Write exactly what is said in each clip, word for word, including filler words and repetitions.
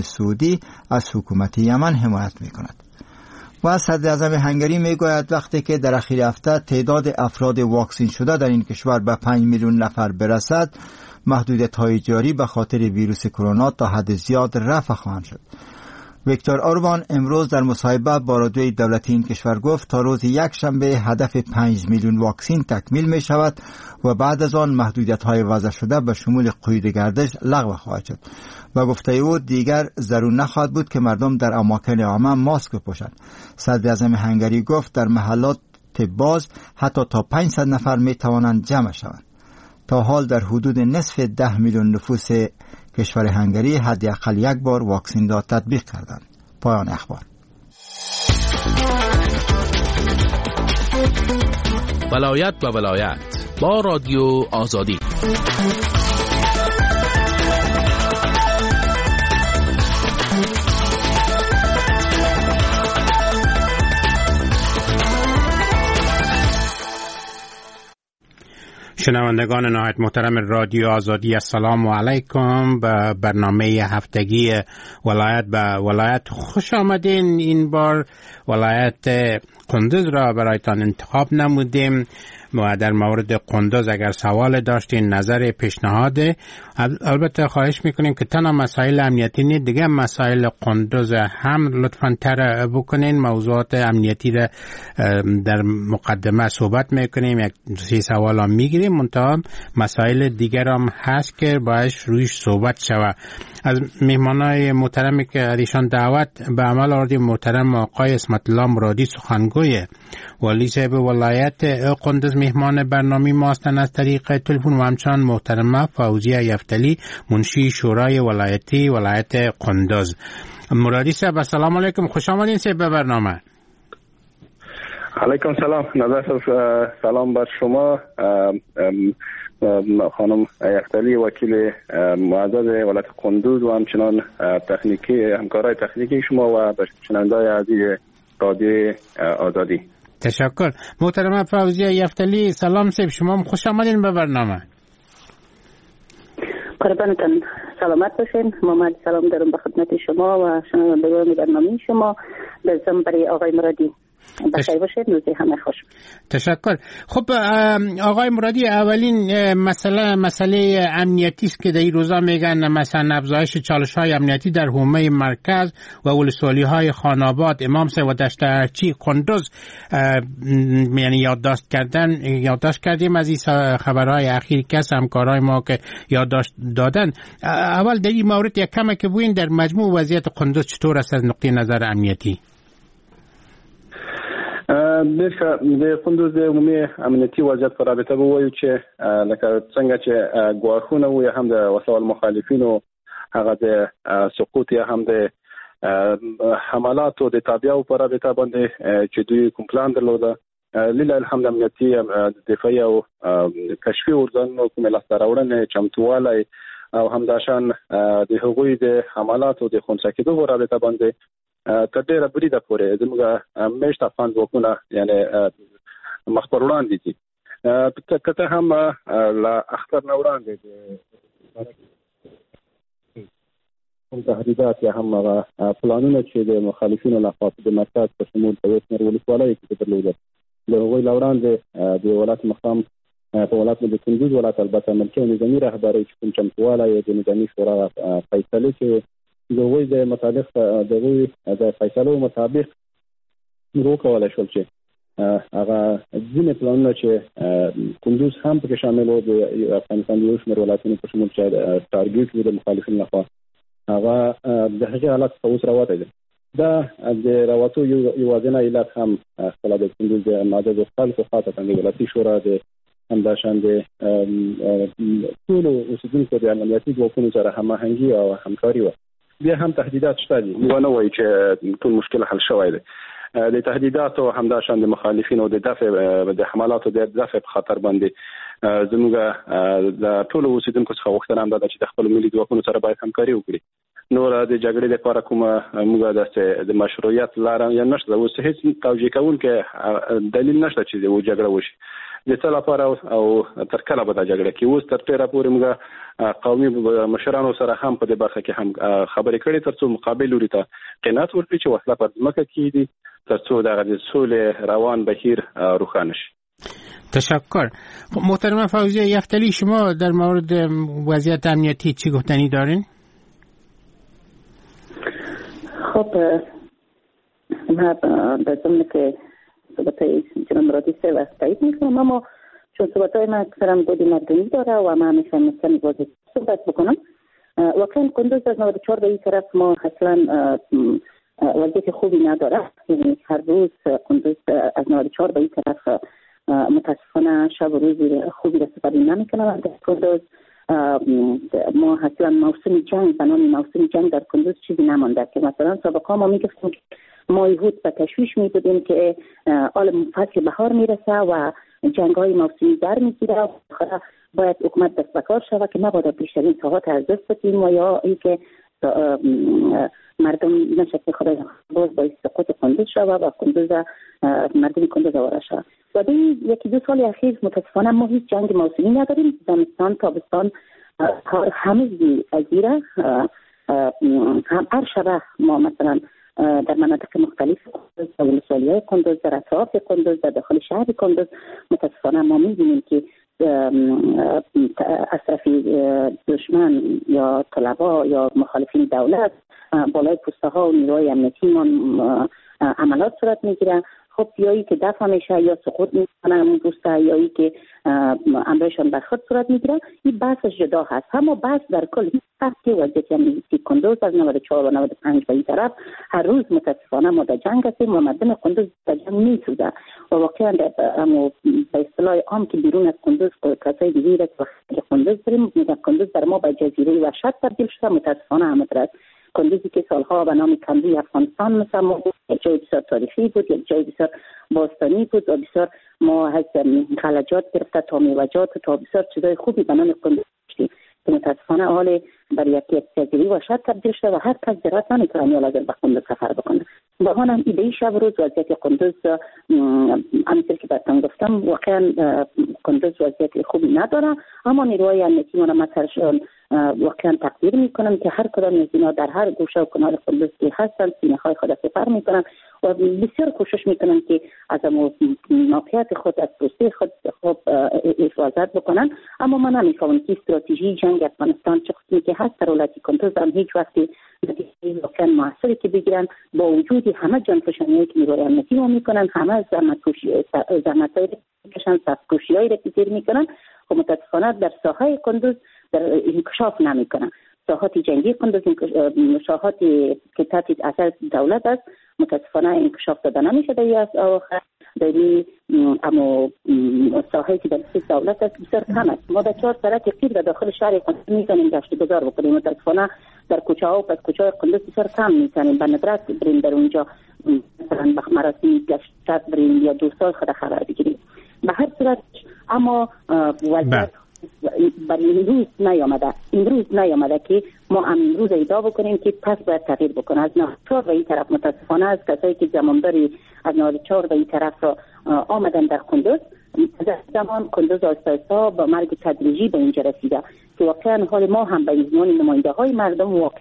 عربستان سعودی از حکومت یمن حمایت می‌کند. و صدر اعظم هنگری میگوید وقتی که در اخیر هفته تعداد افراد واکسین شده در این کشور به پنج میلیون نفر برسد، محدودیت‌های جاری به خاطر ویروس کرونا تا حد زیاد رفع خواهند شد. ویکتور اوربان امروز در مصاحبه با رادیوی دولتی این کشور گفت تا روز یک شنبه هدف پنج میلیون واکسین تکمیل می شود و بعد از آن محدودیت های وضع شده به شمول قید گردش لغو خواهد شد. و گفته او دیگر ضرور نخواهد بود که مردم در اماکن عامه ماسک بپوشند. صدر اعظم هنگری گفت در محلات باز حتی تا پانصد نفر می توانند جمع شوند. تا حال در حدود نصف ده میلیون نفوس کشور هنگری حداقل یک بار واکسین را تطبیق کردند. پایان اخبار. ولایت و ولایت با رادیو آزادی. شنوندگان نهایت محترم رادیو آزادی، السلام علیکم. به برنامه هفتگی ولایت به ولایت خوش آمدین. این بار ولایت قندوز را برایتان انتخاب نمودیم و در مورد قندوز اگر سوال داشتین، نظر، پیشنهاد، البته خواهش میکنیم که تنها مسائل امنیتی نه، دیگه مسائل قندوز هم لطفاً تر بکنین. موضوعات امنیتی را در مقدمه صحبت میکنیم، یک سه سوال هم میگیریم، منتها مسائل دیگر هم هست که باید رویش صحبت شود. از مهمانای محترمی که از ایشان دعوت به عمل آوردیم، محترم آقای عصمت الله مرادی، سخنگوی والی صاحب ولایت قندوز، مهمان برنامه ما هستند از طریق تلفن، و همچنان محترمه فوزیه یفتلی، منشی شورای ولایتی ولایت قندوز. مرادی صاحب، السلام علیکم، خوش آمدین صاحب به برنامه. علیکم سلام نظر سلام بر شما خانم یفتلی، وکیل معزز ولایت قندوز، و همچنان تکنیکی همکارای تکنیکی شما و شنونده‌های عزیز رادیو آزادی. تشکر. محترمه فوزیه یفتلی، سلام صاحب، شما خوش آمدین به برنامه. قربانتان، سلامت باشین. محمد سلام دارم به خدمت شما و شنوندگان برنامه شما. به ضمن برای آقای مرادی بخیر باشید، روزی همه خوش. تشکر. خب آقای مرادی، اولین مسئله مسئله امنیتی است که در این روزا میگن مثلا افزایش چالش های امنیتی در حومه مرکز و ولسوالی های خانآباد، امام سه و دشت ارچی قندوز، یعنی یادداشت کردن یادداشت کردیم از این خبرهای اخیر که همکارای ما که یادداشت دادن. اول در این مورد یک کم که بگوین در مجموع وضعیت قندوز چطور است از نقطه نظر امنیتی؟ ډېر ښه. د قندوز د عمومي امنیتي وضعیت په رابطه به ووایو چې لکه څنګه چې ګواښونه وو یا هم د وسلهوالو مخالفینو هغه د سقوط یا هم د حملاتو د تابعو په رابطه باندې چې دوی کوم پلان درلوده، لله الحمد امنیتي دفاعي او کشفي ارګانونو کومې لاسته راوړنې، چمتووالی او همداشان د هغوی د حملاتو د خنثی کېدو په رابطه باندې تر ډېره بریده پورې زموږ مېشت افغان ځواکونه یعنې مخ پر وړاندې دي. که څه هم له اختر نه وړاندې کوم تهدیدات یا هم هغه پلانونه چې د مخالفینو لخوا د مرکز په شمول په یو شمېر ولسوالیو کې درلودل، د هغوی له وړاندې د ولایت مقام په ولایت د کندوز ولایت البته ملکي او نظامي رهبرۍ چې کوم چمتووالی د نظامي شورا فیصلې چې د هغوی د مطابق د هغوی د فیصلو مطابق موږ وکولی شول چې هغه ځینې پلانونه چې کندوز هم پکې شامل و، د افغانستان د یو شمېر ولایتونو په شمول چې ټارګېټ وو د مخالفینو لخوا، هغه د هغې حالت څخه اوس راوتی دی. دا د راوتو یو یوازینی علت هم خپله د کندوز د معززو خلکو خاصتا د ولایتي شورا د همداشان د ټولو اوسېدونکو د امنیتي ځواکونو سره هماهنګي او همکاري وه. بیا هم تهدیدات شته دي، موږ نه وایو چې ټول مشکل حل شوی دی. د تهدیداتو همداشان د مخالفینو د دفع د حملاتو د دفع په خاطر باندې زموږ د ټولو اوسېدونکو څخه غوښتنه هم دا ده چې د خپلو ملي ځواکونو سره باید همکاري وکړي. نور د جګړې لپاره کومه موږ داسې د مشروعیت لاره یا نشته، اوس هیڅ توجیه کوونکی دلیل نشته چې د جګړه وشي. د څه لپاره او تر کله به دا جګړه کې. اوس تر ډېره پورې موږ قومي مشرانو سره هم په دې برخه کې هم خبرې کړې ترڅو مقابل لوري ته قناعت ورکړي چې وسله پر ځمکه کېږدي ترڅو دغه د سولې روان بهیر روښانه شي. تشکر. محترمه فوزیه یفتلی، شما در مورد وضعیت امنیتی چی گفتنی دارین؟ خب من در ضمن که صحبت‌های جناب مرادی سه وقت تایید میکنم، اما چون صحبت‌های من اکثرا بود مردمی داره و من میخوام کمی واضح صحبت بکنم. واقعا کندوز از نود و چهار به این طرف ما اصلا وضعیت خوبی نداره، یعنی هر روز کندوز از نود و چهار به این طرف متاسفانه شب و روز خوبی را سپری نمیکنه. در کندوز ما اصلا موسم جنگ به نام موسم جنگ در کندوز چیزی نمانده که مثلا سابقا ما میگفتیم که ما یهود به تشویش می بودیم که آل فصل بهار میرسه و جنگ های موسمی در میگیره، باید حکومت دست به کار شود که مبادا بیشترین ساحات از دست بدیم و یا اینکه مردم نشه که خدای باز باعث سقوط کندوز شود و کندوز مردم کندوز آواره شود. و در یکی دو سال اخیر متاسفانه ما هیچ جنگ موسمی نداریم، زمستان تابستان همه ازیره هم هر شبه ما مثلا در مناطق مختلف کندوز، ولسوالی‌های کندوز، در اطراف کندوز، در داخل شهر کندوز متاسفانه ما می‌بینیم که از طرف دشمن یا طلبا یا مخالفین دولت بالای پوسته ها و نیروهای امنیتی ما عملات صورت میگیره. خب یا ای که دفع میشه یا سقوط میکنه همون پوسته، یا ای که امرشان برخورد صورت میگیره، این بحثش جدا هست. اما بحث در کل هست که وضعیت امنیتی کندوز از نود و چهار و نود و پنج به این طرف هر روز متاسفانه ما در جنگ هستیم و مردم کندوز در جنگ میسوزه و واقعا به اصطلاح عام که بیرون از کندوز کسای دیگه که کندوز داریم میگن کندوز بر ما به جزیره وحشت تبدیل شده. متاسفانه همینطور است. کندوزی که سالها به نام کندوی افغانستان مسمى بود، یک جای بسیار تاریخی بود، یک جای بسیار باستانی بود و بسیار ما از خلجات گرفته تا میوه‌جات تا بسیار چیزای خوبی به نام کندوز داشتیم که متاسفانه حال بر یک یک جزیره وحشت تبدیل شده و هر کس جرأت نمی‌کنه یا لازم به کندوز سفر بکنه. با هم ایده شب روز وضعیت کندوز همینطور که براتون گفتم واقعا کندوز وضعیت خوبی نداره، اما نیروهای امنیتی ما را مثلا واقعا تقدیر میکنم که هر کدام از اینا در هر گوشه و کنار کندوز که هستن سینه های خود سپر میکنن و بسیار کوشش میکنن که از موقعیت خود از پوسته خود خوب حفاظت بکنن. اما من نمیفهمم که استراتژی جنگ افغانستان چه قسمی که هست در ولایت کندوز هم هیچ وقتی نتیجه واقعا موثری که بگیرن با وجود همه جانفشانی‌هایی که نیروهای امنیتی ما میکنن، همه زحمت‌هایی که سخت‌کوشی‌هایی را که تیر میکنن، خب متاسفانه در ساحه کندوز در انکشاف نمیکنن. ساحات جنگی کندوز، ساحاتی که تحت اثر دولت است متاسفانه انکشاف داده نمیشه در از آخر در اما ساحه که در دولت است بسیار کم است. ما در چهار سرک قیر در داخل شهر کندوز میتونیم گشت گذار بکنیم، متاسفانه در کوچه ها و پس کوچه های کندوز بسیار کم میتونیم به ندرت بریم در اونجا مثلا به مراسم گشت بریم یا دوستای خود خبر بگیریم. به هر صورت اما وضعیت برای امروز نیامده، امروز نیامده که ما امروز ادعا بکنیم که پس باید تغییر بکنه. از نود و چهار به این طرف متاسفانه از کسایی که زمانداری از نود و چهار به این طرف را آمدن در کندوز، از زمان کندوز آهسته آهسته با مرگ تدریجی به اینجا رسیده که واقعا حال ما هم به عنوان نماینده های مردم واقعا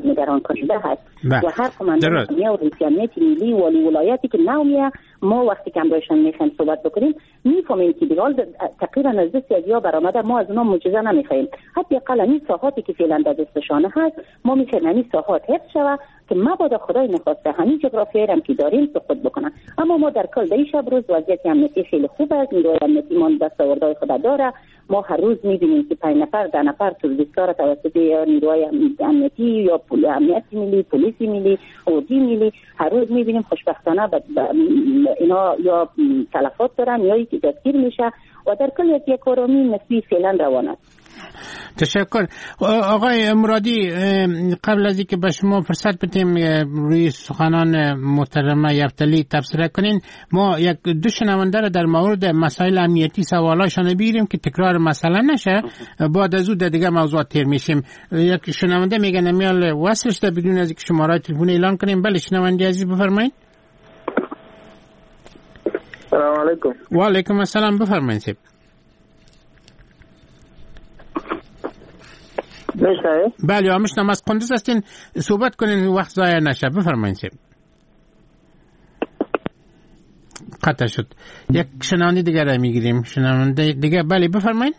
نگران کننده هست. و هر قماندان و رئیس امنیت ملی والی ولایتی که نو میه، ما وقتی که همراهشان میخوایم صحبت بکنیم میفهمیم که دیگه تقریبا از دست از یا برآمده، ما از اونا معجزه نمیخوایم. حداقل این ساحاتی که فعلا در دستشان هست ما میخوایم همین ساحات حفظ شود که مبادا خدای نخواسته همین جغرافیایی هم که داریم سقوط بکنن. اما ما در کل در شب روز وضعیت امنیتی خیلی خوب است، نیروهای امنیتی ما دستاوردهای خود داره. ما هر روز میبینیم که پنج نفر ده نفر تروریست‌ها را توسط نیروهای امنیتی یا پول امنیت ملی، پلیس ملی، اردی ملی هر روز میبینیم. خوشبختانه اینا یا تلفات دارن یا یکی دستگیر میشه و در کل یک آرامی نسبی فعلا روان است. تشکر. آقای مرادی، قبل از اینکه به شما فرصت بدیم روی سخنان محترمه یفتلی تبصره کنین، ما یک دو شنونده را در مورد مسائل امنیتی سوالاشان بگیریم که تکرار مسئله نشه، بعد از او در دیگه موضوعات تیر میشیم. یک شنونده میگه نمیال وصل شده بدون از اینکه شماره تلفن اعلان کنیم. بله شنونده عزیز بفرمایید. سلام علیکم. و علیکم السلام، بفرمایید صاحب. میشنوید؟ بله میشنوم. از قندوز هستین، صحبت کنین وقت ضایع نشه. بفرمایید صاحب. قطع شد. یک شنونده دیگه را میگیریم. شنونده دیگه، بله بفرمایید.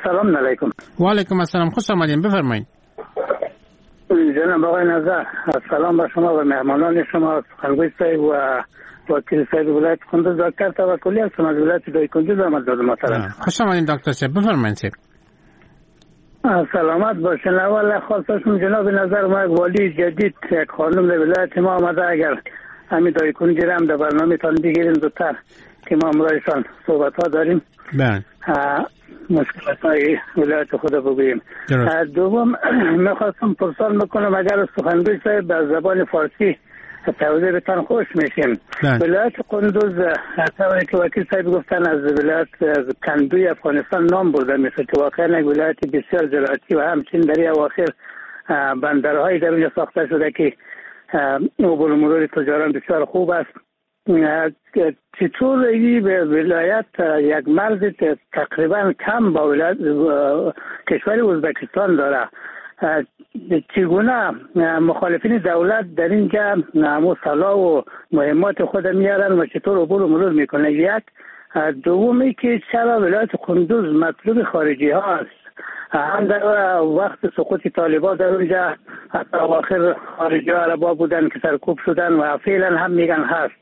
سلام علیکم. و علیکم السلام، خوش آمدین، بفرمایید. جناب آقای نظر، سلام به شما و مهمانان شما، سخنگوی صاحب و وکیل صاحب ولایت قندوز. دکتر توکلی هستم از ولایت دایکندوز آمد دادم محترم. خوش آمدین دکتر صاحب، بفرمایید صاحب. سلامت باشین. اول خواستم جناب نظر، ما یک والی جدید، یک خانم در ولایت ما آمده، اگر همین دایکندی را هم در برنامه تان بگیریم زودتر که ما امرایشان صحبت ها داریم. بله. مشکلات های ولایت خود بگوییم. دوم میخواستم پرسان بکنم اگر سخنگوی صاحب به زبان فارسی توضیح بتان خوش میشیم. ولایت قندوز طوری که وکیل صاحب گفتن از ولایت از کندوی افغانستان نام برده میشه که واقعا یک ولایت بسیار زراعتی و همچنین در اواخر بندرهایی در اونجا ساخته شده که عبور و مرور تجاران بسیار خوب است. چطور این به ولایت یک مرز تقریبا کم با ولایت کشور ازبکستان داره، چگونه مخالفین دولت در اینجا سلاح و مهمات خود میارن و چطور عبور و مرور میکنه؟ یک. دومی که چرا ولایت قندوز مطلوب خارجی ها است؟ هم در وقت سقوط طالبان در اونجا حتی اواخر خارجی ها عربا بودن که سرکوب شدن و فعلا هم میگن هست.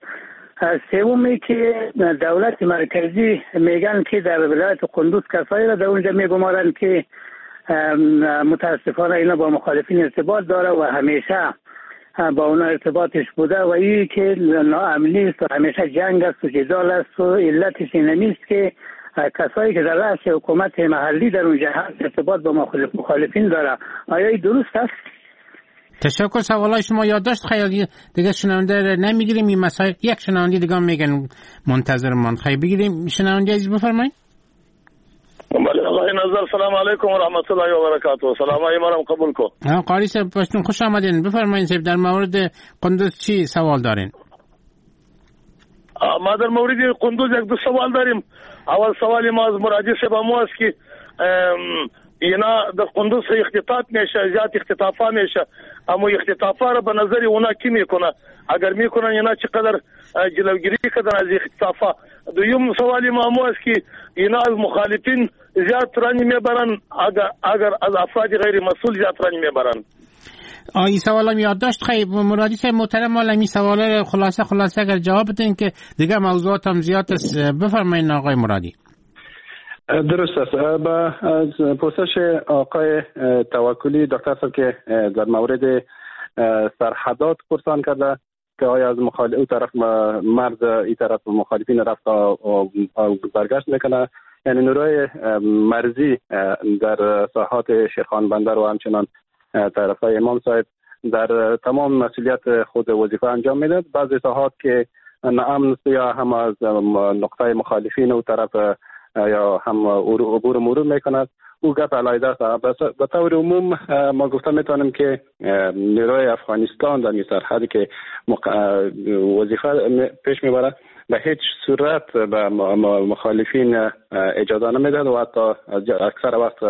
سومی که دولت مرکزی میگن که در ولایت قندوز کسایی را در اونجا میگمارن که متاسفانه اینا با مخالفین ارتباط داره و همیشه با اونا ارتباطش بوده و این که ناامنی است و همیشه جنگ است و جدال است و علتش این نیست که کسایی که در رأس حکومت محلی در اونجا هست ارتباط با مخالفین داره. آیا این درست است؟ تشکر. سوالای شما یادداشت. خیلی دیگه شنونده نمیگیریم این مسائل. یک شنونده دیگه میگن منتظر من. خیلی بگیریم شنونده عزیز، بفرمایید. بله آقای نظر، سلام علیکم و رحمت الله و برکاته. سلام های مرام قبول کو. قاری صاحب پشتون خوش آمدین، بفرمایید صاحب در مورد قندوز چی سوال دارین؟ ما در مورد قندوز یک دو سوال داریم. اول سوال ما از مرادی صاحب مو است که اینا در قندوز اختطاف میشه، زیاد اختطافا میشه، اما اختطافا را به نظر اونا کی میکنه؟ اگر میکنن اینا چقدر جلوگیری کردن از اختطافا؟ دویم سوال ما مو است که اینا از مخالفین زیاد رنج میبرن، اگر اگر از افراد غیر مسئول زیاد رنج میبرن. این سوالم یادداشت. خیلی مرادی صاحب محترم، حالا این سوالا خلاصه خلاصه اگر جواب بدین که دیگه موضوعات هم زیاد است. بفرمایید آقای مرادی. درست است. با پرسش آقای توکلی دکتر صاحب که در مورد سرحدات پرسان کرده که آیا از مخالف او طرف مرز این طرف مخالفین رفت و برگشت میکنه، یعنی نیروی مرزی در ساحات شیرخان بندر و همچنان طرف های امام صاحب در تمام مسئولیت خود وظیفه انجام میداد. بعضی ساحات که ناامن یا هم از نقطه مخالفین و طرف یا هم عبور مرور میکند، او گپ علیحده است. به طور عموم ما گفته میتونیم که نیروی افغانستان در این سرحدی که وظیفه پیش میبره به هیچ صورت به مخالفین اجازه نمیدهد و حتی اکثر وقت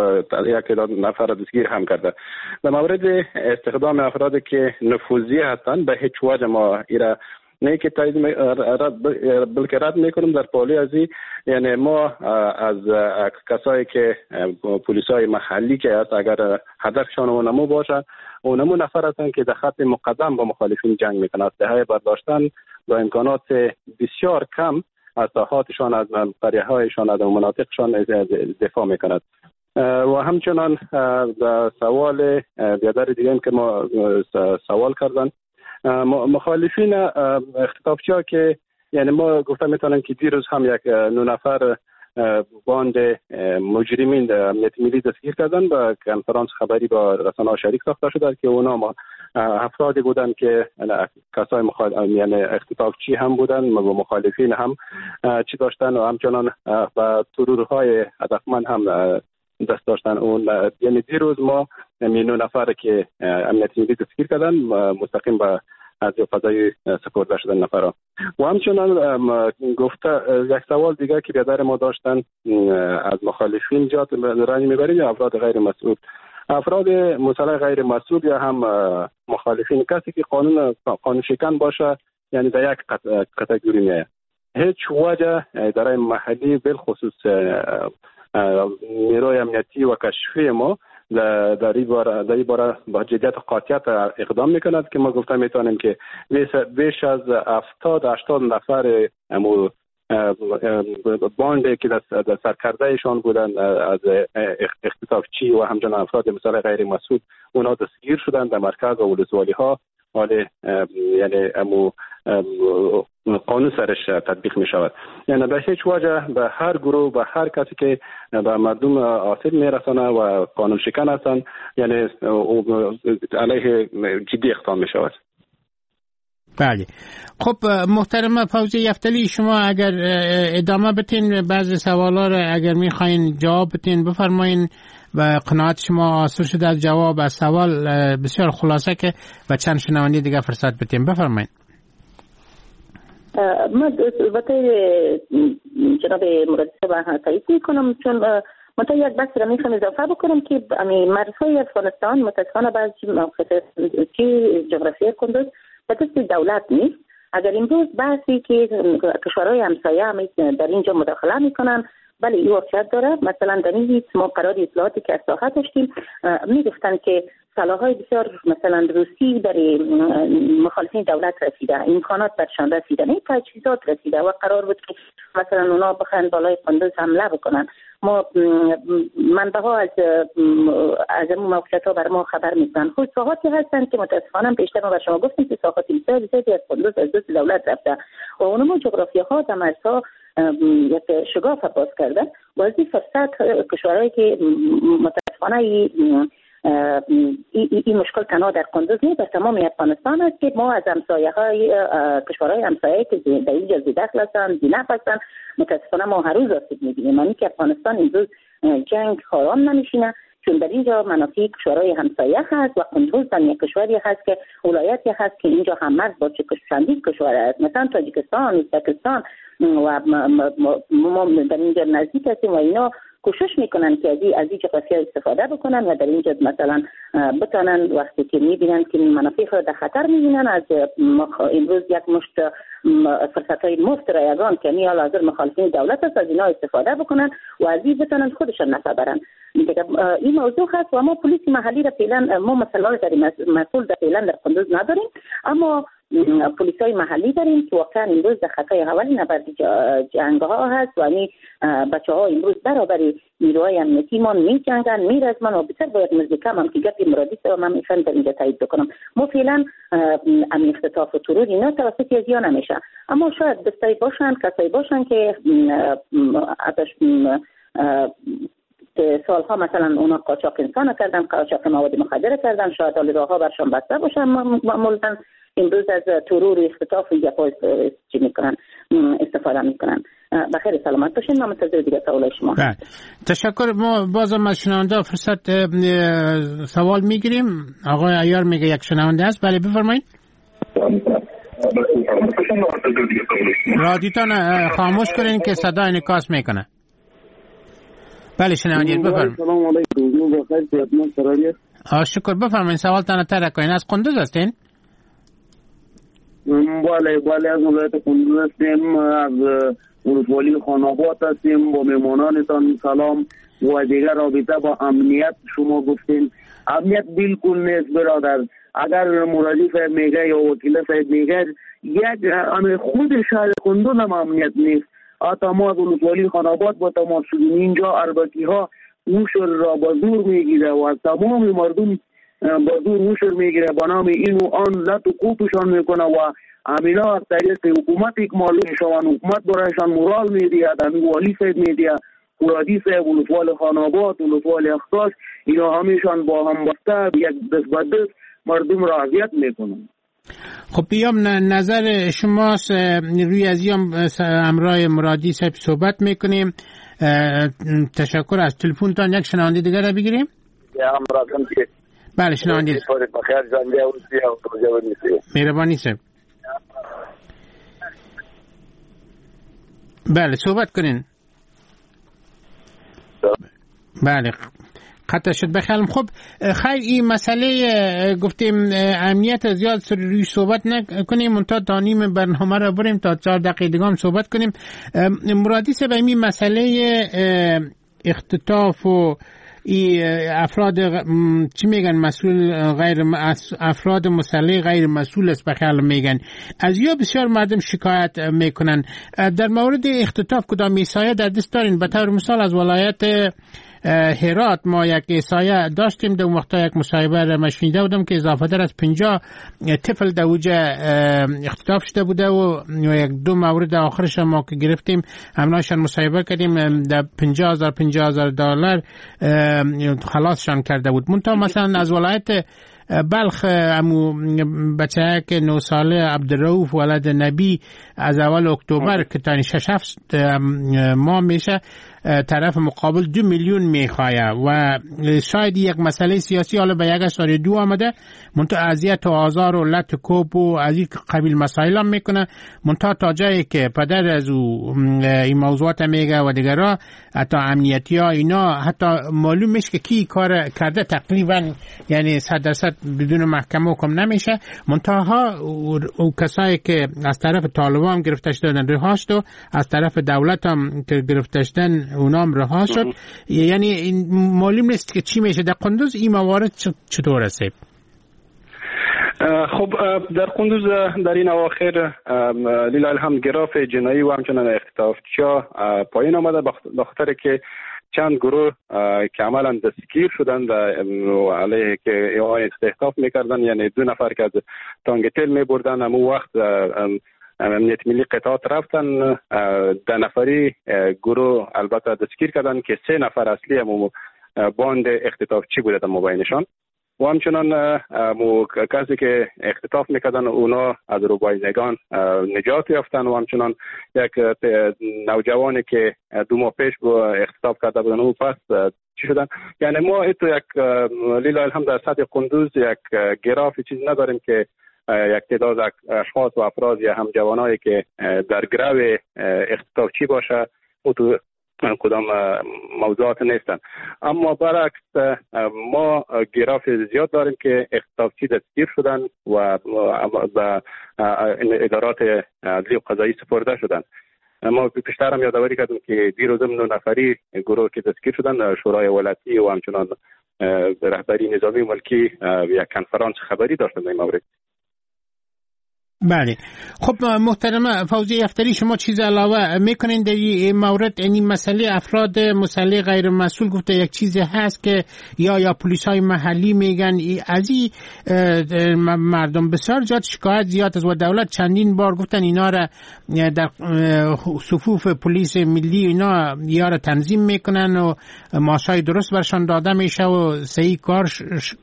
یک تعداد نفر دستگیر هم کرده. در مورد استخدام افرادی که نفوذی هستند به هیچ وجه ما ایرا نه که تایید رد بلکه رد میکنیم. در پالی ازی یعنی ما از کسایی که پلیسای محلی که هست اگر هدفشان اونمو باشه، اونمو نفر هستند که در خط مقدم با مخالفین جنگ میکنن، اسلحه برداشتن با امکانات بسیار کم از ساحاتشان، از قریه هایشان، از مناطقشان دفاع میکند. و همچنان در سوال بیادر دیگه که ما سوال کردن مخالفین اختطافچی ها که یعنی ما گفتم میتونم که دیروز هم یک نو نفر باند مجرمین امنیت ملی دستگیر کردن با کنفرانس خبری با رسانه‌ها شریک ساخته شده که اونا ما افرادی بودن که کسای مخال... یعنی اختطافچی هم بودن و مخالفین هم چی داشتن و همچنان با ترورهای هدفمند هم دست داشتن. اون یعنی دیروز ما نو نفر که امنیت ملی دستگیر کردن مستقیم به از فضای سپرده شدن نفرها. و همچنان گفته یک سوال دیگه که بیادر ما داشتن از مخالفین جات رنج میبریم یا افراد غیر مسئول، افراد مسلح غیر مسئول یا هم مخالفین، کسی که قانون قانون شکن باشه یعنی در یک کاتگوری میاد. هیچ وجه اداره محلی بالخصوص نیروی امنیتی و کشفی ما در این باره در این باره با جدیت و قاطعیت اقدام میکند که ما گفته میتونیم که بیش از هفتاد هشتاد نفر امو باند که در سرکرده ایشان بودن از اختطافچی و همچنان افراد مثال غیر مسئول، اونا دستگیر شدن در مرکز و ولسوالی ها. حال یعنی امو قانون سرش تطبیق می شود. یعنی به هیچ وجه به هر گروه، به هر کسی که به مردم آسیب می رسانه و قانون شکن هستند، یعنی علیه جدی اقدام می شود. بله. خب محترم فوزی یفتلی، شما اگر ادامه بتین بعضی سوالا را اگر میخواین جواب بتین بفرمایین و قناعت شما حاصل شده از جواب از سوال بسیار خلاصه که و چند شنونده دیگه فرصت بتین، بفرمایین. من البته جناب مرادی صاحب تایید میکنم، چون من یک بحث را میخوام اضافه بکنم که مرزهای افغانستان متاسفانه بعضی موقعیت جغرافیای کندز به دست دولت نیست. اگر امروز بحثی که کشورهای همسایه هم در اینجا مداخله میکنن، بله این واقعیت داره. مثلا در این ما قرار اطلاعاتی که از ساحه داشتیم میگفتن که سلاح‌های بسیار مثلا روسی برای مخالفین دولت رسیده، امکانات برشان رسیده، نه تجهیزات رسیده و قرار بود که مثلا اونا بخوان بالای قندوز حمله بکنن. ما منبع ها از از اون موقعیت ها بر ما خبر میدن. خود ساحاتی هستن که متاسفانه پیشتر ما بر شما گفتیم که ساحات بسیار زیادی از قندوز از دست دولت رفته و اونم جغرافی ها در مرزها یک شگاف باز کردن و از این فرصت کشورهایی که متاسفانه ای این مشکل تنها در قندوز نیست، در تمام افغانستان است که ما از همسایه های کشورهای همسایه که در اینجا ذی‌دخل هستند، ذی‌نفع هستند، متاسفانه ما هر روز آسیب می‌بینیم. یعنی که افغانستان امروز جنگ آرام نمی‌شینه، چون در اینجا منافع کشورهای همسایه هست و قندوز هم یک کشوری هست که ولایتی هست که اینجا هم مرز با چندین کشور است، مثلا تاجیکستان، ازبکستان و ما در اینجا نزدیک هستیم و اینا کوشش میکنن که از این از این جغرافیا استفاده بکنن و در اینجا مثلا بتونن وقتی که میبینن که منافع خود در خطر میبینن، از امروز یک مشت فرصت های مفت رایگان که می حال حاضر مخالفین دولت است از اینا استفاده بکنن و از این بتونن خودشان نفع برن. این موضوع هست و ما پلیس محلی را فعلا ما مثلا در مسئول در فعلا در قندوز نداریم، اما پلیس های محلی داریم که واقعا امروز در خطای اول نبرد جنگ ها هست و این بچه ها امروز برابر نیروهای امنیتی ما می جنگن، می رزمن و بسیار باید مزدکم هم که گپی مرادی سوا من میخوام در اینجا تایید بکنم. ما فعلا امن اختطاف و ترور اینا توسط از یا نمیشه، اما شاید دستایی باشن، کسایی باشن که ازش سالها مثلا اونا قاچاق انسان کردن، قاچاق مواد مخدر کردن، شاید حال راهها برشان بسته باشن، معمولا امروز از ترور و اختطاف و گپا چی میکنن، استفاده میکنن. بخیر، سلامت باشین. من منتظر دیگه سوال شما. بله، تشکر. ما بازم از شنونده فرصت سوال میگیریم. آقای عیار میگه یک شنونده است. بله بفرمایید. رادیوتان خاموش کنین که صدا انعکاس میکنه. بله شنونده بفرمایید. سلام علیکم. بخیر. شکر. بفرمایید سوالتان ترک کنین. از قندوز هستین؟ بله بله، از ولایت قندوز هستیم، از ولسوالی خانآباد هستیم. با مهمانانتان سلام و دیگر رابطه با امنیت شما گفتین امنیت بالکل نیست برادر. اگر مرادی صاحب میگه یا وکیل صاحب میگه یک خود شهر قندوز هم امنیت نیست. حتی ما از ولسوالی خانآباد با تماس شدیم، اینجا اربکی ها موشر را با زور میگیره و تمام مردم با زور موشر میگیره با نام این و آن لط و کوپشان میکنه و همینا از طریق حکومت اکمال میشوند. حکومت برایشان مورال میدهد، همین والی صاحب میدهد، مرادی صاحب، ولسوال خانآباد، ولسوال اختصاص، اینا همیشان با هم بسته یک دست به دست مردم را اذیت میکنند. خب بیام نظر شماست روی از یام همراه مرادی صاحب صحبت میکنیم. تشکر از تلفنتان. یک شنونده دیگر را بگیریم. بله شنونده مهربانی صاحب. بله صحبت کنین. بله قطع شد بخیالم. خب خیر این مسئله گفتیم امنیت زیاد سر روی صحبت نکنیم، منتها تا نیم برنامه را بریم تا چهار دقیقه دیگه هم صحبت کنیم. مرادی صاحب این مسئله اختطاف و ای افراد چی میگن مسئول غیر افراد مسلح غیر مسئول است بخیال میگن، از یا بسیار مردم شکایت میکنن در مورد اختطاف. کدام ایسایه در دست دارین؟ به طور مثال از ولایت هرات ما یک احصایه داشتیم، در وقتا یک مصاحبه را مشنیده بودم که اضافه تر از پنجاه طفل در اوجه اختطاف شده بوده و یک دو مورد آخرش ما که گرفتیم همراهشان مصاحبه کردیم در پنجاه هزار پنجاه هزار دلار خلاصشان کرده بود. منتها مثلا از ولایت بلخ امو بچه که نه ساله عبدالرؤوف ولد نبی از اول اکتبر که تا شش هفت ماه میشه طرف مقابل دو میلیون میخواه و شاید یک مسئله سیاسی حالا به یک اشاره دو آمده، منتها اذیت و آزار و لط و کوب و از این قبیل مسائل هم میکنه. منتها تا جایی که پدر از او این موضوعات میگه و دیگرها حتی امنیتی ها اینا حتی معلوم میشه که کی کار کرده تقریبا، یعنی صد درصد بدون محکمه حکم نمیشه. منتها او کسایی که از طرف طالبان گرفته شدن رها شد و از طرف دولت هم که گرفته شدن اونام رها شد. یعنی این معلوم نیست که چی میشه در قندوز. این موارد چطور است؟ خب در قندوز در این اواخر لله الحمد گراف جنایی و همچنان اختطافچیا پایین آمده، به خاطر که چند گروه که عملا دستگیر شدند و علیه که اختطاف میکردن، یعنی دو نفر که از تانگ تیل میبردن، امو وقت امنیت ملی قطعات رفتن، ده نفری گروه البته دستگیر کردن که سه نفر اصلی امو باند اختطافچی بوده در مبینشان و همچنان کسی که اختطاف میکردن اونا از روبایزگان نجات یافتن و همچنان یک نوجوانی که دو ماه پیش اختطاف کرده بودن او پس چی شدن. یعنی ما ایتو یک لیلا الحمد در سطح قندوز یک گراف چیز نداریم که یک تعداد اشخاص و افراد یا هم جوانایی که در گروه اختطافچی باشه او تو کدام موضوعات نیستن. اما برعکس ما گراف زیاد داریم که اختطافچی دستگیر شدن و به ادارات عدلی و قضایی سپرده شدن. ما پیشتر هم یادآوری کردیم که دیروز نه نفری گروه که دستگیر شدن شورای ولایتی و همچنان رهبری نظامی ملکی یک کنفرانس خبری داشتن در این مورد. بله خب محترمه فوزی یفتلی، شما چیز علاوه میکنین در این مورد؟ این مسئله افراد مسلح غیر مسئول گفته یک چیزی هست که یا یا پلیس های محلی میگن از این مردم بسیار زیاد شکایت زیاد است و دولت چندین بار گفتن اینا را در صفوف پلیس ملی اینا یا را تنظیم میکنن و معاشای درست برشان داده میشه و صحیح کار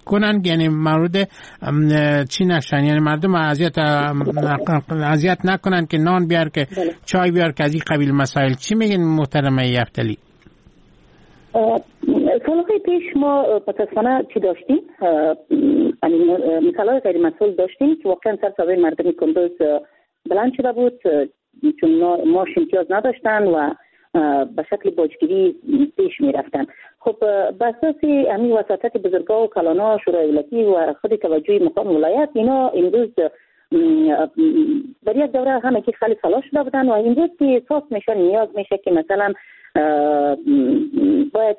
کنن، یعنی مورد چی نشن، یعنی مردم اذیت اذیت نکنن که نان بیار که چای بیار که از این قبیل مسائل. چی میگن محترمه یفتلی؟ سالهای پیش ما متاسفانه چی داشتیم؟ مثالهای غیر مسئول داشتیم که واقعا سر صدای مردم کندوز بلند شده بود، چون ماش امتیاز نداشتن و به شکل باجگیری پیش می رفتن. خب به اساس همین وساطت بزرگا و کلانا شورای ولایتی و خود توجه مقام ولایت اینا امروز در یک دوره همه که خیلی صلاح شده بودن و امروز که احساس میشه نیاز میشه که مثلا باید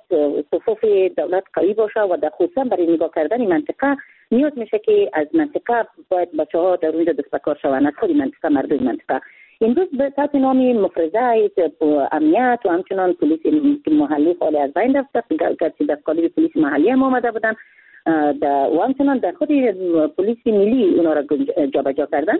صفوف دولت قوی باشه و در خصوصا برای نگاه کردن منطقه نیاز میشه که از منطقه باید بچه ها در اونجا دست به کار شوند، از خود منطقه، مردم منطقه. امروز به تحت نام مفرزه امنیت و همچنان پلیس محلی خالی از بین رفته، گرچه در قالب پلیس محلی هم آمده بودن و همچنان در خود پلیس ملی اونا را جابجا کردن،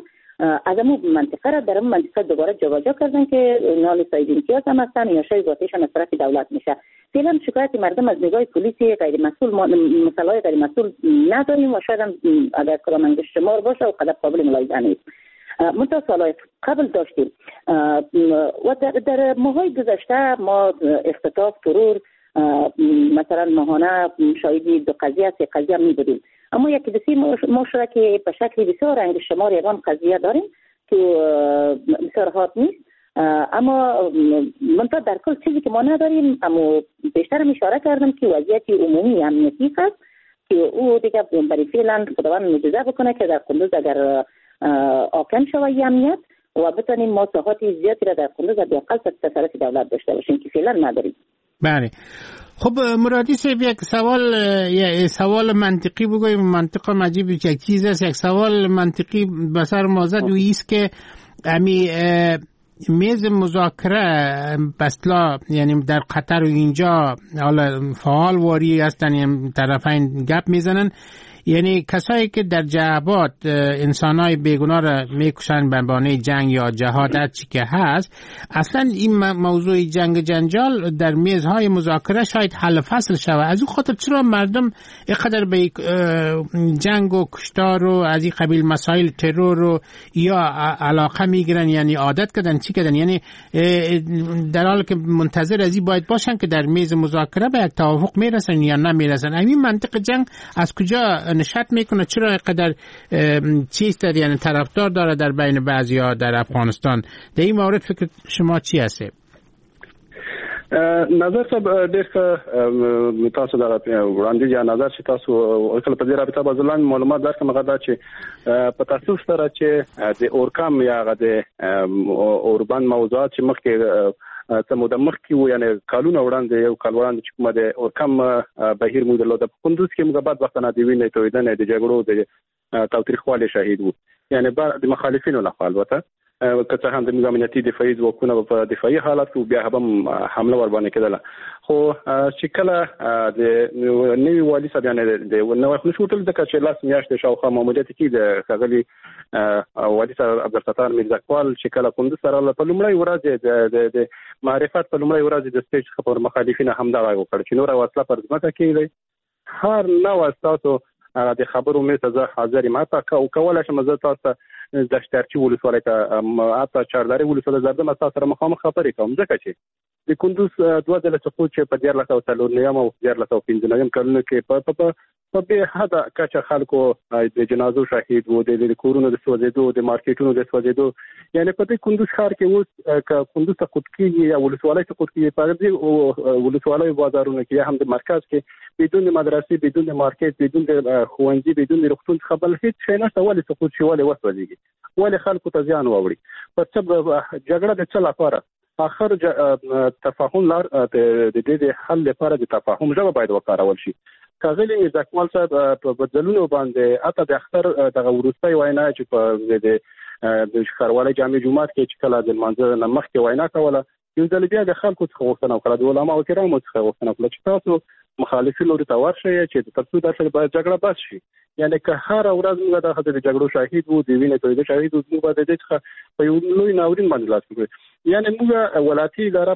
از امو منطقه را در امو منطقه دوباره جابجا کردن که نال ساید امتیاز هم هستن یا شای ذاتیشان از طرف دولت میشه. فعلا شکایت مردم از نگاه پلیس غیر مسئول ما مسئله غیر مسئول نداریم و شاید هم اگر کدام انگشت شمار باشه و قدر قابل ملاحظه نیست. منتها سالهای قبل داشتیم و در, در ماهای گذشته ما اختطاف، ترور، مثلا ماهانه شاهد دو قضیه سه قضیه می بودیم. اما یکی دو سه ماه شده که به شکل بسیار انگشت شمار یگان قضیه داریم که بسیار حاد نیست، اما منتها در کل چیزی که ما نداریم، اما بیشتر اشاره کردم که وضعیت عمومی امنیتی هست که او دیگه برای فعلا خداوند معجزه بکنه که در قندوز اگر آکن شوی امنیت و بتونیم ما ساحات زیادی را در قندوز حداقل تصرف دولت داشته باشیم که فعلا نداریم. بله. خب مرادی صاحب، یک سوال یک سوال منطقی بگویم، منطقه عجیب یک چیز است، یک سوال منطقی به سر ما زد و ایست که امی میز مذاکره بسلا یعنی در قطر و اینجا حالا فعال واری هستن، یعنی طرفین گپ میزنن، یعنی کسایی که در جعبات انسانای بیگناه را میکشن به بهانه جنگ یا جهاد هر چی که هست، اصلا این موضوع جنگ جنجال در میزهای مذاکره شاید حل فصل شود. از اون خاطر چرا مردم اینقدر به جنگ و کشتار و از این قبیل مسائل ترور و یا علاقه میگیرن، یعنی عادت کردن چی کردن، یعنی در حال که منتظر از این باید باشن که در میز مذاکره به یک توافق میرسن یا نمیرسن. این منطق جنگ از کجا نشأت میکنه؟ چرا اینقدر چیز داره، یعنی طرفدار داره در بین بعضیا در افغانستان؟ در این مورد فکر شما چی هست؟ نظر صاحب، ډېر ښه تاسو دغه وړاندیز یا نظر چې تاسو وکړ په دې رابطه به زه لنډ معلومات درکړم. هغه دا چې په تاسو سره چې د اورکم یا هغه د اوربند موضوعات چې مخکې څه موده مخکې وو، یعنې کالونه وړاندې، یو کال وړاندې چې کومه د اورکم بهیر موږ درلوده په کندوز کې، موږ بدبختانه د وینې تویدنې، د جګړو، د تاوتریخوالي شاهد وو، یعنې د مخالفینو لخوا البته، که څه هم د موږ امنیتي دفاعي ځواکونه په دفاعي حالت کې بیا هم حمله ور باندې کېدله، خو چې کله د نوي والي صاحب، یعنې د نوی خو نشو ټول، ځکه چې لاس میاشتې شاوخوا ماموریت کې د ښاغلي والي صاحب عبدالستار میرزکوال چې کله کندوز ته راغله، په لومړۍ ورځ د معرفت په لومړۍ ورځ د سټیج څخه پر مخالفینو همدا غږ وکړ چې نوره وسله پر ځمکه کېږدئ، هر نوع ستاسو د خبرو مېز ته زه حاضر یم، حتی کولی شم زه تاسو ته دشترچي ولسوالۍ ته، حتی چاردارې ولسوالۍ زردم تاسو سره مخامخ خبرې کوم، ځکه چې د کندوز دوه ځله سقوط چې په دیارلس سوه څلور نویم او دیارلس سوه پنځه نویم کلونو کې په په په بې حده کچه خلکو د جنازو شاهد وو، د کورونو د سوځېدو، د مارکیټونو د سوځېدو، یعنې په دې کندوز ښار کې اوس که کندوز سقوط کېږي یا ولسوالۍ سقوط کېږي، په دې ولسوالۍ بازارونو کې یا هم د مرکز کې بدون د مدرسې، بدون د مارکیټ، بدون د ښوونځي، بدون د روغتون څخه بل هېڅ شی نشته. ولې سقوط شي؟ ولې وسوځېږي؟ ولې خلکو ته زیان واوړي؟ په څه جګړه د څه لپاره؟ آخر تفاهم لار د دې د حل لپاره د تفاهم ژبه باید وکارول شي. ښاغلي میرزکمال صاحب په بدلونو باندې حتی د اختر دغه وروستۍ وینا چې په د ښاروالۍ جامع جومات کې چې کله د لمانځه نه مخکې وینا کوله، یو ځل بیا د خلکو څخه غوښتنه وکړه، د علماو کرامو څخه غوښتنه وکړه چې تاسو مخالفین لوري ته ورشئ چې تر څو داسې باید جګړه بس شي. یعنې که هره ورځ موږ د جګړو شاهد وو، د وینې تویدو شاهد وو، موږ به د دې څخه په یو لوی ناورین باندې لاس وکړو. یعنې موږ ولایتي اداره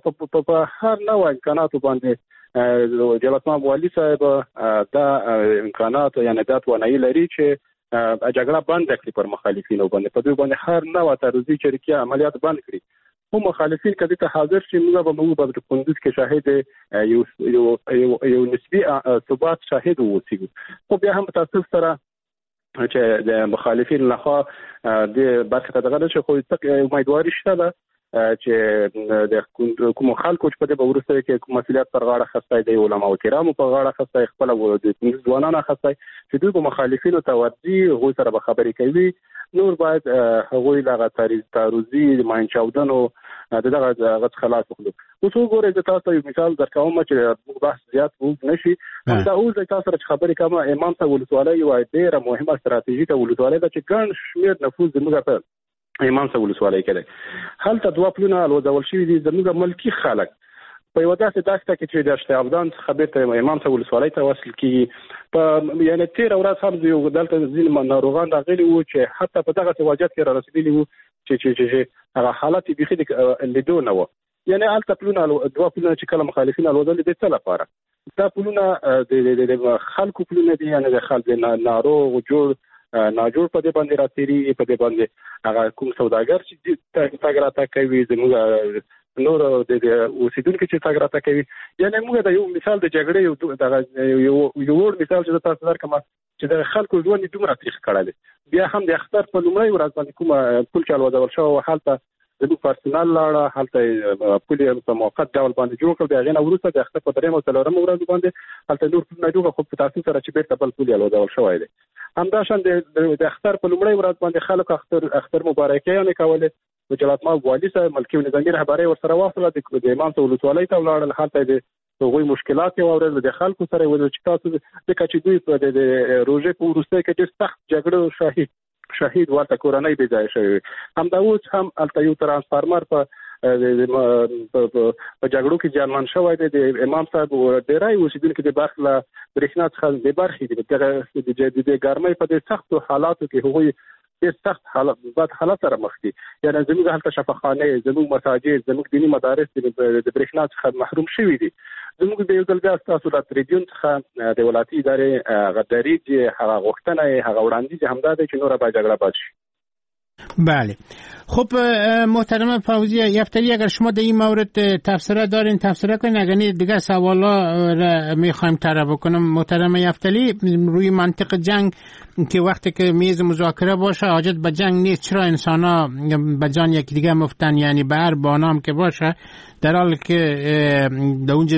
په هر نوع امکاناتو باندې جلالتمآب والي صاحب دا امکانات یعنې دا توانایي لري چې جګړه بنده کړي پر مخالفینو باندې، په دوی باندې هر نوع تعرضي چریکي عملیات بند کړي. خو مخالفین که دې ته حاضر شي، موږ به موږ به د کندوز کې شاهد یو یو یو نسبي ثبات شاهد واوسو. خو بیا هم په تاسف سره چې د مخالفین لخوا دې برخې ته دغه نه شي، خو امیدواري شته ده چې د کومو خلکو چې په دې به وروسته کې کوم مسؤلیت پر غاړه اخیستی دی، علماو کرامو په غاړه اخیستی، خپله د کندوز ځوانانو اخیستی، چې دوی به مخالفینو ته ورځي، هغوی سره به خبرې کوي. نور باید هغوی دغه تعرضي ماین چاودنو د دغه هغه څخه لاس واخلو. اوس وګورئ، زه تاسو ته یو مثال درکوم چې بحث زیات اوږد نه شي. همدا اوس زه تاسو سره چې خبرې کوم، امام صاحب ولسوالۍ یوه ډېره مهمه ستراتیژیکه ولسوالۍ ده چې ګڼ شمېر نفوذ زموږ په امام صاحب ولسوالۍ کې دی. هلته دوه پلونه الوزول شوي دي. زموږ ملکي خلک په یوه داسې دښته کې چې د دشت ابدان څخه بېرته امام صاحب ولسوالۍ ته وصل کېږي، په یعنې تېره ورځ هم یو دلته ځینې ناروغان راغلي وو چې حتی په دغسې وضعیت کې را رسېدلي وو چې چې چې هغه حالت یې بیخي د لیدو نه و. یعنې هلته پلونه دوه پلونه چې کله مخالفین الوزولي د څه لپاره؟ دا پلونه د خلکو پلونه دي، یعنې د خلک ناروغ جوړ ناجوړ په دې باندې راتېرېږي، په دې باندې هغه کوم سوداګر چې تګ راتګ کوي، زموږ نور د اوسیدونکو چې تګ راتګ کوي. یعنی موږ د یو مثال د جګړې یو دغه یو یو مثال چې تاسو درکم چې د خلکو ژوند یې دومره تریخ کړی دی، بیا هم د اختر په لومړۍ ورځ باندې کومه پل چې الوزول شوی و هلته زموږ پرسونل لاړه، هلته پل یې په موقت ډول باندې جوړ کړ. د هغې نه وروسته د اختر په درېیم او څلورمه ورځ باندې هلته نور پلونه جوړ کړل، خو په تاسو سره چې بېرته بل پل یې الوزول شوی دی. همداشان د اختر په لومړۍ ورځ باندې خلک اختر اختر مبارکیانې کولې، د جلالتمآب والي صاحب ملکي او نظامي رهبرۍ ورسره واخله، د امام صاحب ولسوالۍ ته ولاړل، هلته د هغوی مشکلات یې واورېدل، د خلکو سره یې وویل چې تاسو ځکه چې دوی په د روژې په وروستۍ کې ډېر سخت جګړو شهید شهید ورته کورنۍ بې ځایه شوې وې. همدا اوس هم هلته یو ترانسفارمر په په جګړو کې زیانمن شوی دی. د امام صاحب ډېری اوسېدونکي د برق له برېښنا څخه بې برخې دي. دغه د ګرمۍ په دې سختو حالاتو کې هغوی ډېر سخت حالت بد حالت سره مخ دي. یعنی زموږ هلته شفاخانې، زموږ مساجد، زموږ دیني مدارس د برېښنا څخه محروم شوي دي. زموږ د یو ځل بیا ستاسو له تریبیون څخه د ولایتي ادارې هغه دریځ، هغه غوښتنه، هغه وړاندیز همدا دی چې نوره باید جګړه بس شي. بله. خب محترم فوزیه یفتلی، اگر شما در این مورد تبصره دارین تبصره کنین، اگر نه دیگه سوالا را میخوایم طرح بکنم. محترم یفتلی، روی منطق جنگ که وقتی که میز مذاکره باشه حاجت به جنگ نیست، چرا انسان ها به جان یکی دیگه مفتن؟ یعنی به هر بانام که باشه، در حالی که در اونجا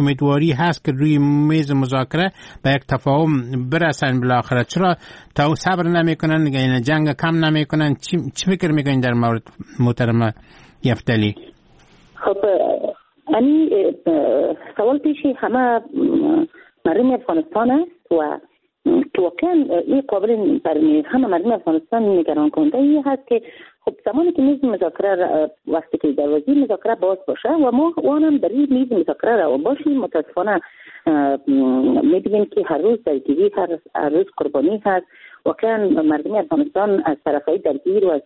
امیدواری هست که روی میز مذاکره به یک تفاهم برسن بالاخره، چرا تا صبر نمیکنن، یعنی جنگ کم نمیکنن؟ چی چی فکر میکنین در مورد محترم یفتلی؟ خب یعنی سوال پیش همه مردم افغانستان است و واقعا این قابل برای همه مردم افغانستان نگران کننده ای هست که خب زمانی که میز مذاکره وقتی که دروازه مذاکره باز باشه و ما وانم در این میز مذاکره را باشیم، متاسفانه میبینیم که هر روز درگیری، هر روز قربانی هست. واقعا مردم افغانستان از طرفهای درگیر و از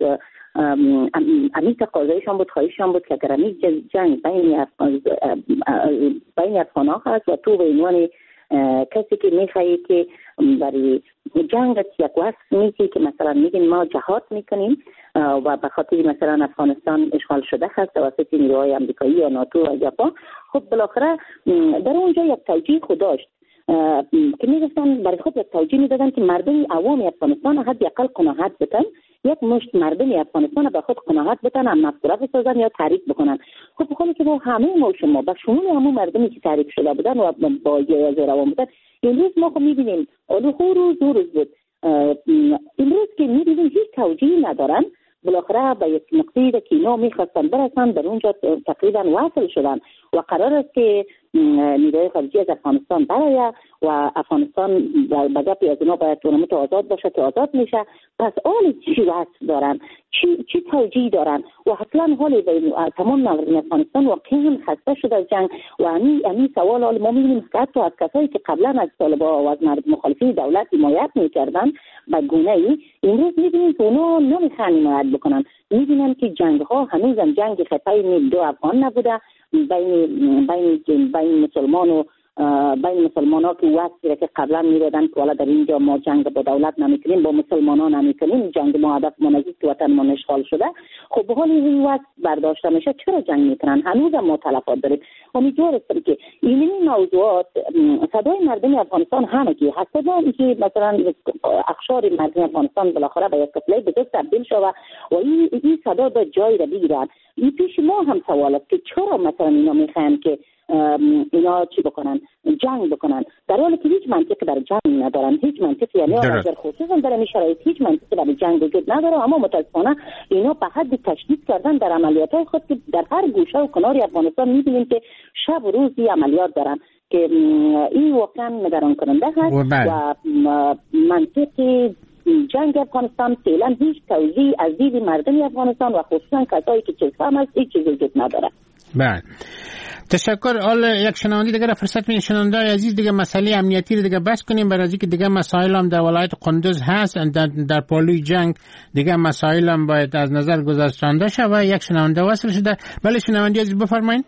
امی تقاضایشان بود، خواهششان بود که اگر امی جنگ بین افغان بین افغان‌ها هست و تو به عنوان کسی که میخوایی که برای جنگ یک وصف میتی که مثلا میگین ما جهاد میکنیم و به خاطر مثلا افغانستان اشغال شده هست توسط نیروهای امریکایی یا ناتو و ژاپن، خب بالاخره در اونجا یک توجیه خود داشت که میگفتن برای خود یک توجیه میدادن که مردم عوام افغانستان حداقل قناعت بتن، یک مشت مردم افغانستان به خود قناعت بتن، هم مفکوره بسازن یا تعریف بکنن. خب خود که با همه ما شما با شمول همون مردمی که تعریف شده بودن و با روان بودن، امروز ما خب میبینیم اولو روز دو روز بود، امروز که میبینیم هیچ توجیهی ندارن. بالاخره به یک نقطه‌ای که اینا میخواستن برسن در اونجا تقریبا وصل شدن و قرار است که نیروهای خارجی از افغانستان برآید و افغانستان به گپی از اینا باید تورنمنت آزاد باشه که آزاد میشه. پس آن چی وصف دارن، چی چی توجیه دارن و اصلا حال تمام مردم افغانستان واقعا خسته شده از جنگ و امی امی سوال حال ما میبینیم که حتی از کسایی که قبلا از طالبان و از مردم مخالفین دولت حمایت میکردن به گونه ای امروز میبینیم که اونا نمیخوان حمایت بکنن. میبینن که جنگ ها هنوزم جنگ خطای دو افغان نبوده، بین بین بین مسلمان و بین مسلمان ها که وقتی که قبلا میدادن که والا در اینجا ما جنگ با دولت نمیکنیم، با مسلمان ها نمیکنیم، جنگ ما هدف ما نیست که وطن ما اشغال شده. خب به حال این وقت برداشته میشه، چرا جنگ میکنن؟ هنوز ما تلفات داریم. امیدوار هستم که این موضوعات صدای مردم افغانستان همگی هست، که مثلا اقشار مردم افغانستان بالاخره به یک کتله بزرگ تبدیل شود و این این صدا به جای را بگیرن. این پیش ما هم سوال است که چرا مثلا اینا میخوان که اینا چی بکنن، جنگ بکنن، در حالی که هیچ منطقی برای جنگ ندارن، هیچ منطقی، یعنی در خصوصا در این شرایط هیچ منطقی برای جنگ وجود نداره. اما متاسفانه اینا به حد تشدید کردن در عملیات های خود که در هر گوشه و کنار افغانستان میبینیم که شب و روز عملیات دارن که این واقعا نگران کننده هست و منطق جنگ افغانستان فعلا هیچ توضیح از دید مردم افغانستان و خصوصا کسایی که چیز فهم است هیچ چیز وجود نداره. بله، تشکر. حالا یک شنونده دیگه را فرصت میدیم. شنونده عزیز، دیگه مسئله امنیتی رو دیگه بس کنیم، برای اینکه دیگه مسائل هم در ولایت قندوز هست، در, در پالوی جنگ دیگه مسائل هم باید از نظر گذشتانده شود. یک شنونده وصل شده. بله شنونده عزیز بفرمایید.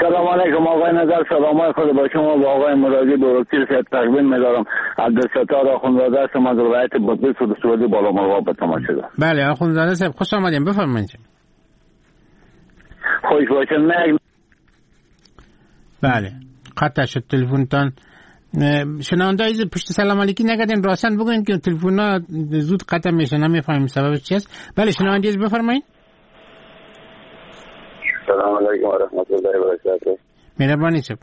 سلام علیکم آقای نظر، سلام های خود با شما با آقای مرادی بروکتیر سید تقدیم می‌دارم. عبدالستار آخوندزاده هستم از ولایت بادغیس و سعودی بالا مرغاب به تماس شده. بله آخوندزاده صاحب خوش آمدین، بفرمایید. خوش باشه. نه بله قطع شد تلفنتان. شنونده عزیز پشت سلام علیکی نگردین، راستن بگوین که تلفن ها زود قطع میشه، نمیفهمیم سببش چی است. بله شنونده عزیز بفرمایید. سلام علیکم و رحمت الله و برکاته. مهربانی صاحب.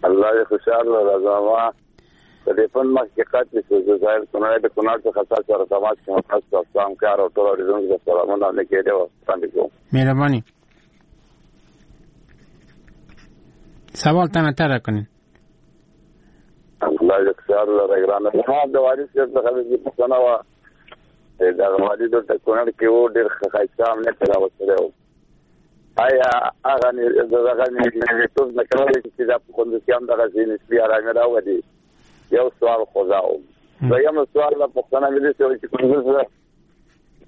الله دې خوشحال لره. زما تلفن مخکې قطع شو، زه ظاهر کونړ د کونړ څخه تاسو سره تماس کې تاسو ته سلام کار او ټول اورېدونکو ته سلامونه نیکې دی وړاندې کوم. مهربانی. سوال تانه تر کنین. الله دې خوشحال لره ګرانه. زما د والي صاحب څخه د پوښتنه وه، دغه والي دلته کونړ کې و، ډېر ښه ښایسته امنیت یې راوستلی و. آیا هغه دغه نیتوب نه کولی شي چې دا په کندوز کې هم دغسې نسبي ارامي راولي؟ یو سوال خو دا و. دویم سوال له پوښتنه مې داسې وه چې کندوز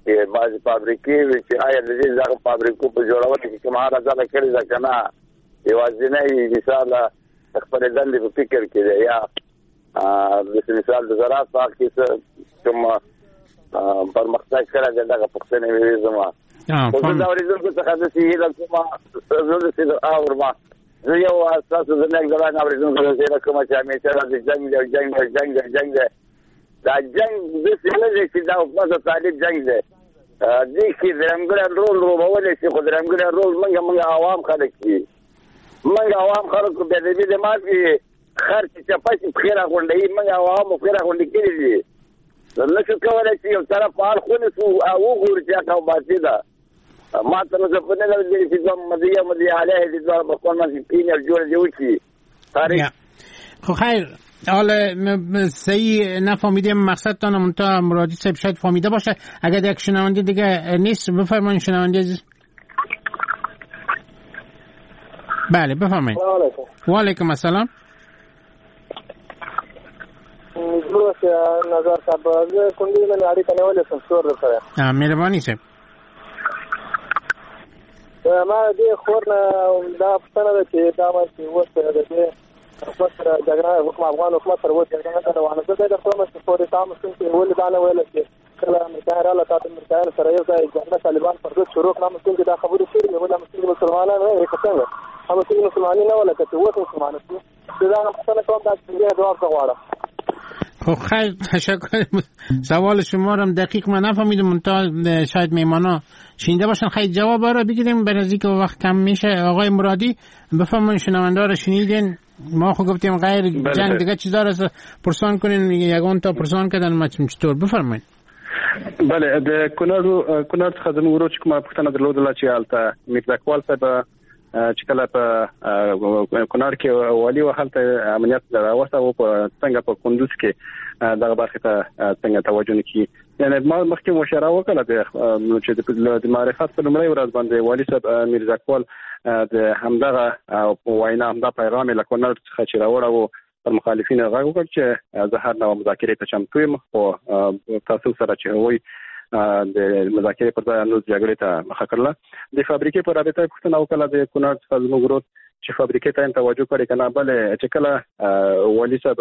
کې بعضې فابریکې وې چې آیا د دې دغه فابریکو په جوړولو کې کومه هله ځله کړې ده که نه یوازینی مثال خپلې دندې په فکر کې دی، یا داسې مثال د زراعت په حق کې څه کوم پرمختګ کړی دی؟ دغه پوښتنې مې وې زما. خو زه د اورېدونکو څخه داسې هیله کوم، زه داسې اورم، زه یو ستاسو د نیک ځوان اورېدونکو داسې هیله کوم چې همېشه داسې جنګ دی جنګ دی جنګ دی جنګ دی، دا جنګ داسې نه دی چې دا حکومت او طالب جنګ دی. دې کې درېمګړی رول لوبولی شي، خو درېمګړی رول موږ موږ عوام خلک دي، موږ عوام خلکو بې ادبي دماغ کې خر چې چپه شي پښې راغونډوي، موږ عوامو پښې راغونډې کړي دي. نه شو کولی چې یو طرف اړخ ونیسو او وګورو چې حق او باطل ده. ما تر اوسه په نه لیدلي چې دوه مدیه مدیه علیه دې دواړه په خپل منځ کې کښېني او جوړه دې وکړي. خب خیر، حالا صحیح نفهمیدیم مقصدتان، منتها مرادی صاحب شاید فهمیده باشه. اگر یک شنونده دیگه نیست بفرمایید شنونده عزیز. بله بفرمایید. و علیکم السلام. نظر صاحب زه کندوز نه اړیکه نیولې سم څور درسره. مهرباني صاحب. ما دې خور نه دا پوښتنه ده چې دا ما چې اوس د دې حکومت سره جګړه حکومت افغان حکومت سره اوس جګړه روانه ده، د خو مې پورې تاسو څنګه ولې دا نه ویل چې کله امریکا رااله تاسو امریکایانو سره یو ځای جګړه طالبان پر ضد شروع کړه، موږ دا خبرې شوې وي، موږ مسلمانان نه یو څنګه هم چې مسلمانان نه ولا کته اوس مسلمانان دي. دا پوښتنه کوم دا چې جواب غواړم. خب خیر تشکر. سوال شما رو هم دقیق من نفهمیدم، منتها شاید میمانا شنیده باشن. خیلی جواب را بگیریم به نزدیک وقت کم میشه. آقای مرادی بفرمایید، شنونده را شنیدین، ما خو گفتیم غیر جنگ دیگه چیزا را پرسان کنین، یگان تا پرسان کردن ما چطور، بفرمایید. بله د کونړ کونړ څخه زموږ ورور چې کومه پوښتنه درلودله چې هلته میرزاکوال صاحب چې کله په کونړ کې والي و هلته امنیت راوسته او په څنګه په کندوز کې دغه برخې ته څنګه توجه نه کیږي. یعنی ما مخکې مشوره وکړه چې د معرفت په لومړۍ ورځ باندې والي صاحب میرزاکوال د همدغه وینا همدا پیغام له کونړ څخه چې راوړه و پر مخالفینو غږ وکړ چې زه هر نوع مذاکرې ته چمتو یم، خو تاسو سره چې هغوی د مذاکرې پر ځای نور جګړې ته مخه کړله. د فابریکې په رابطه پوښتنه وکړه د کونړ څخه زموږ ورور چې فابریکې ته یې توجه کړې که نه. بله چې کله والي صاحب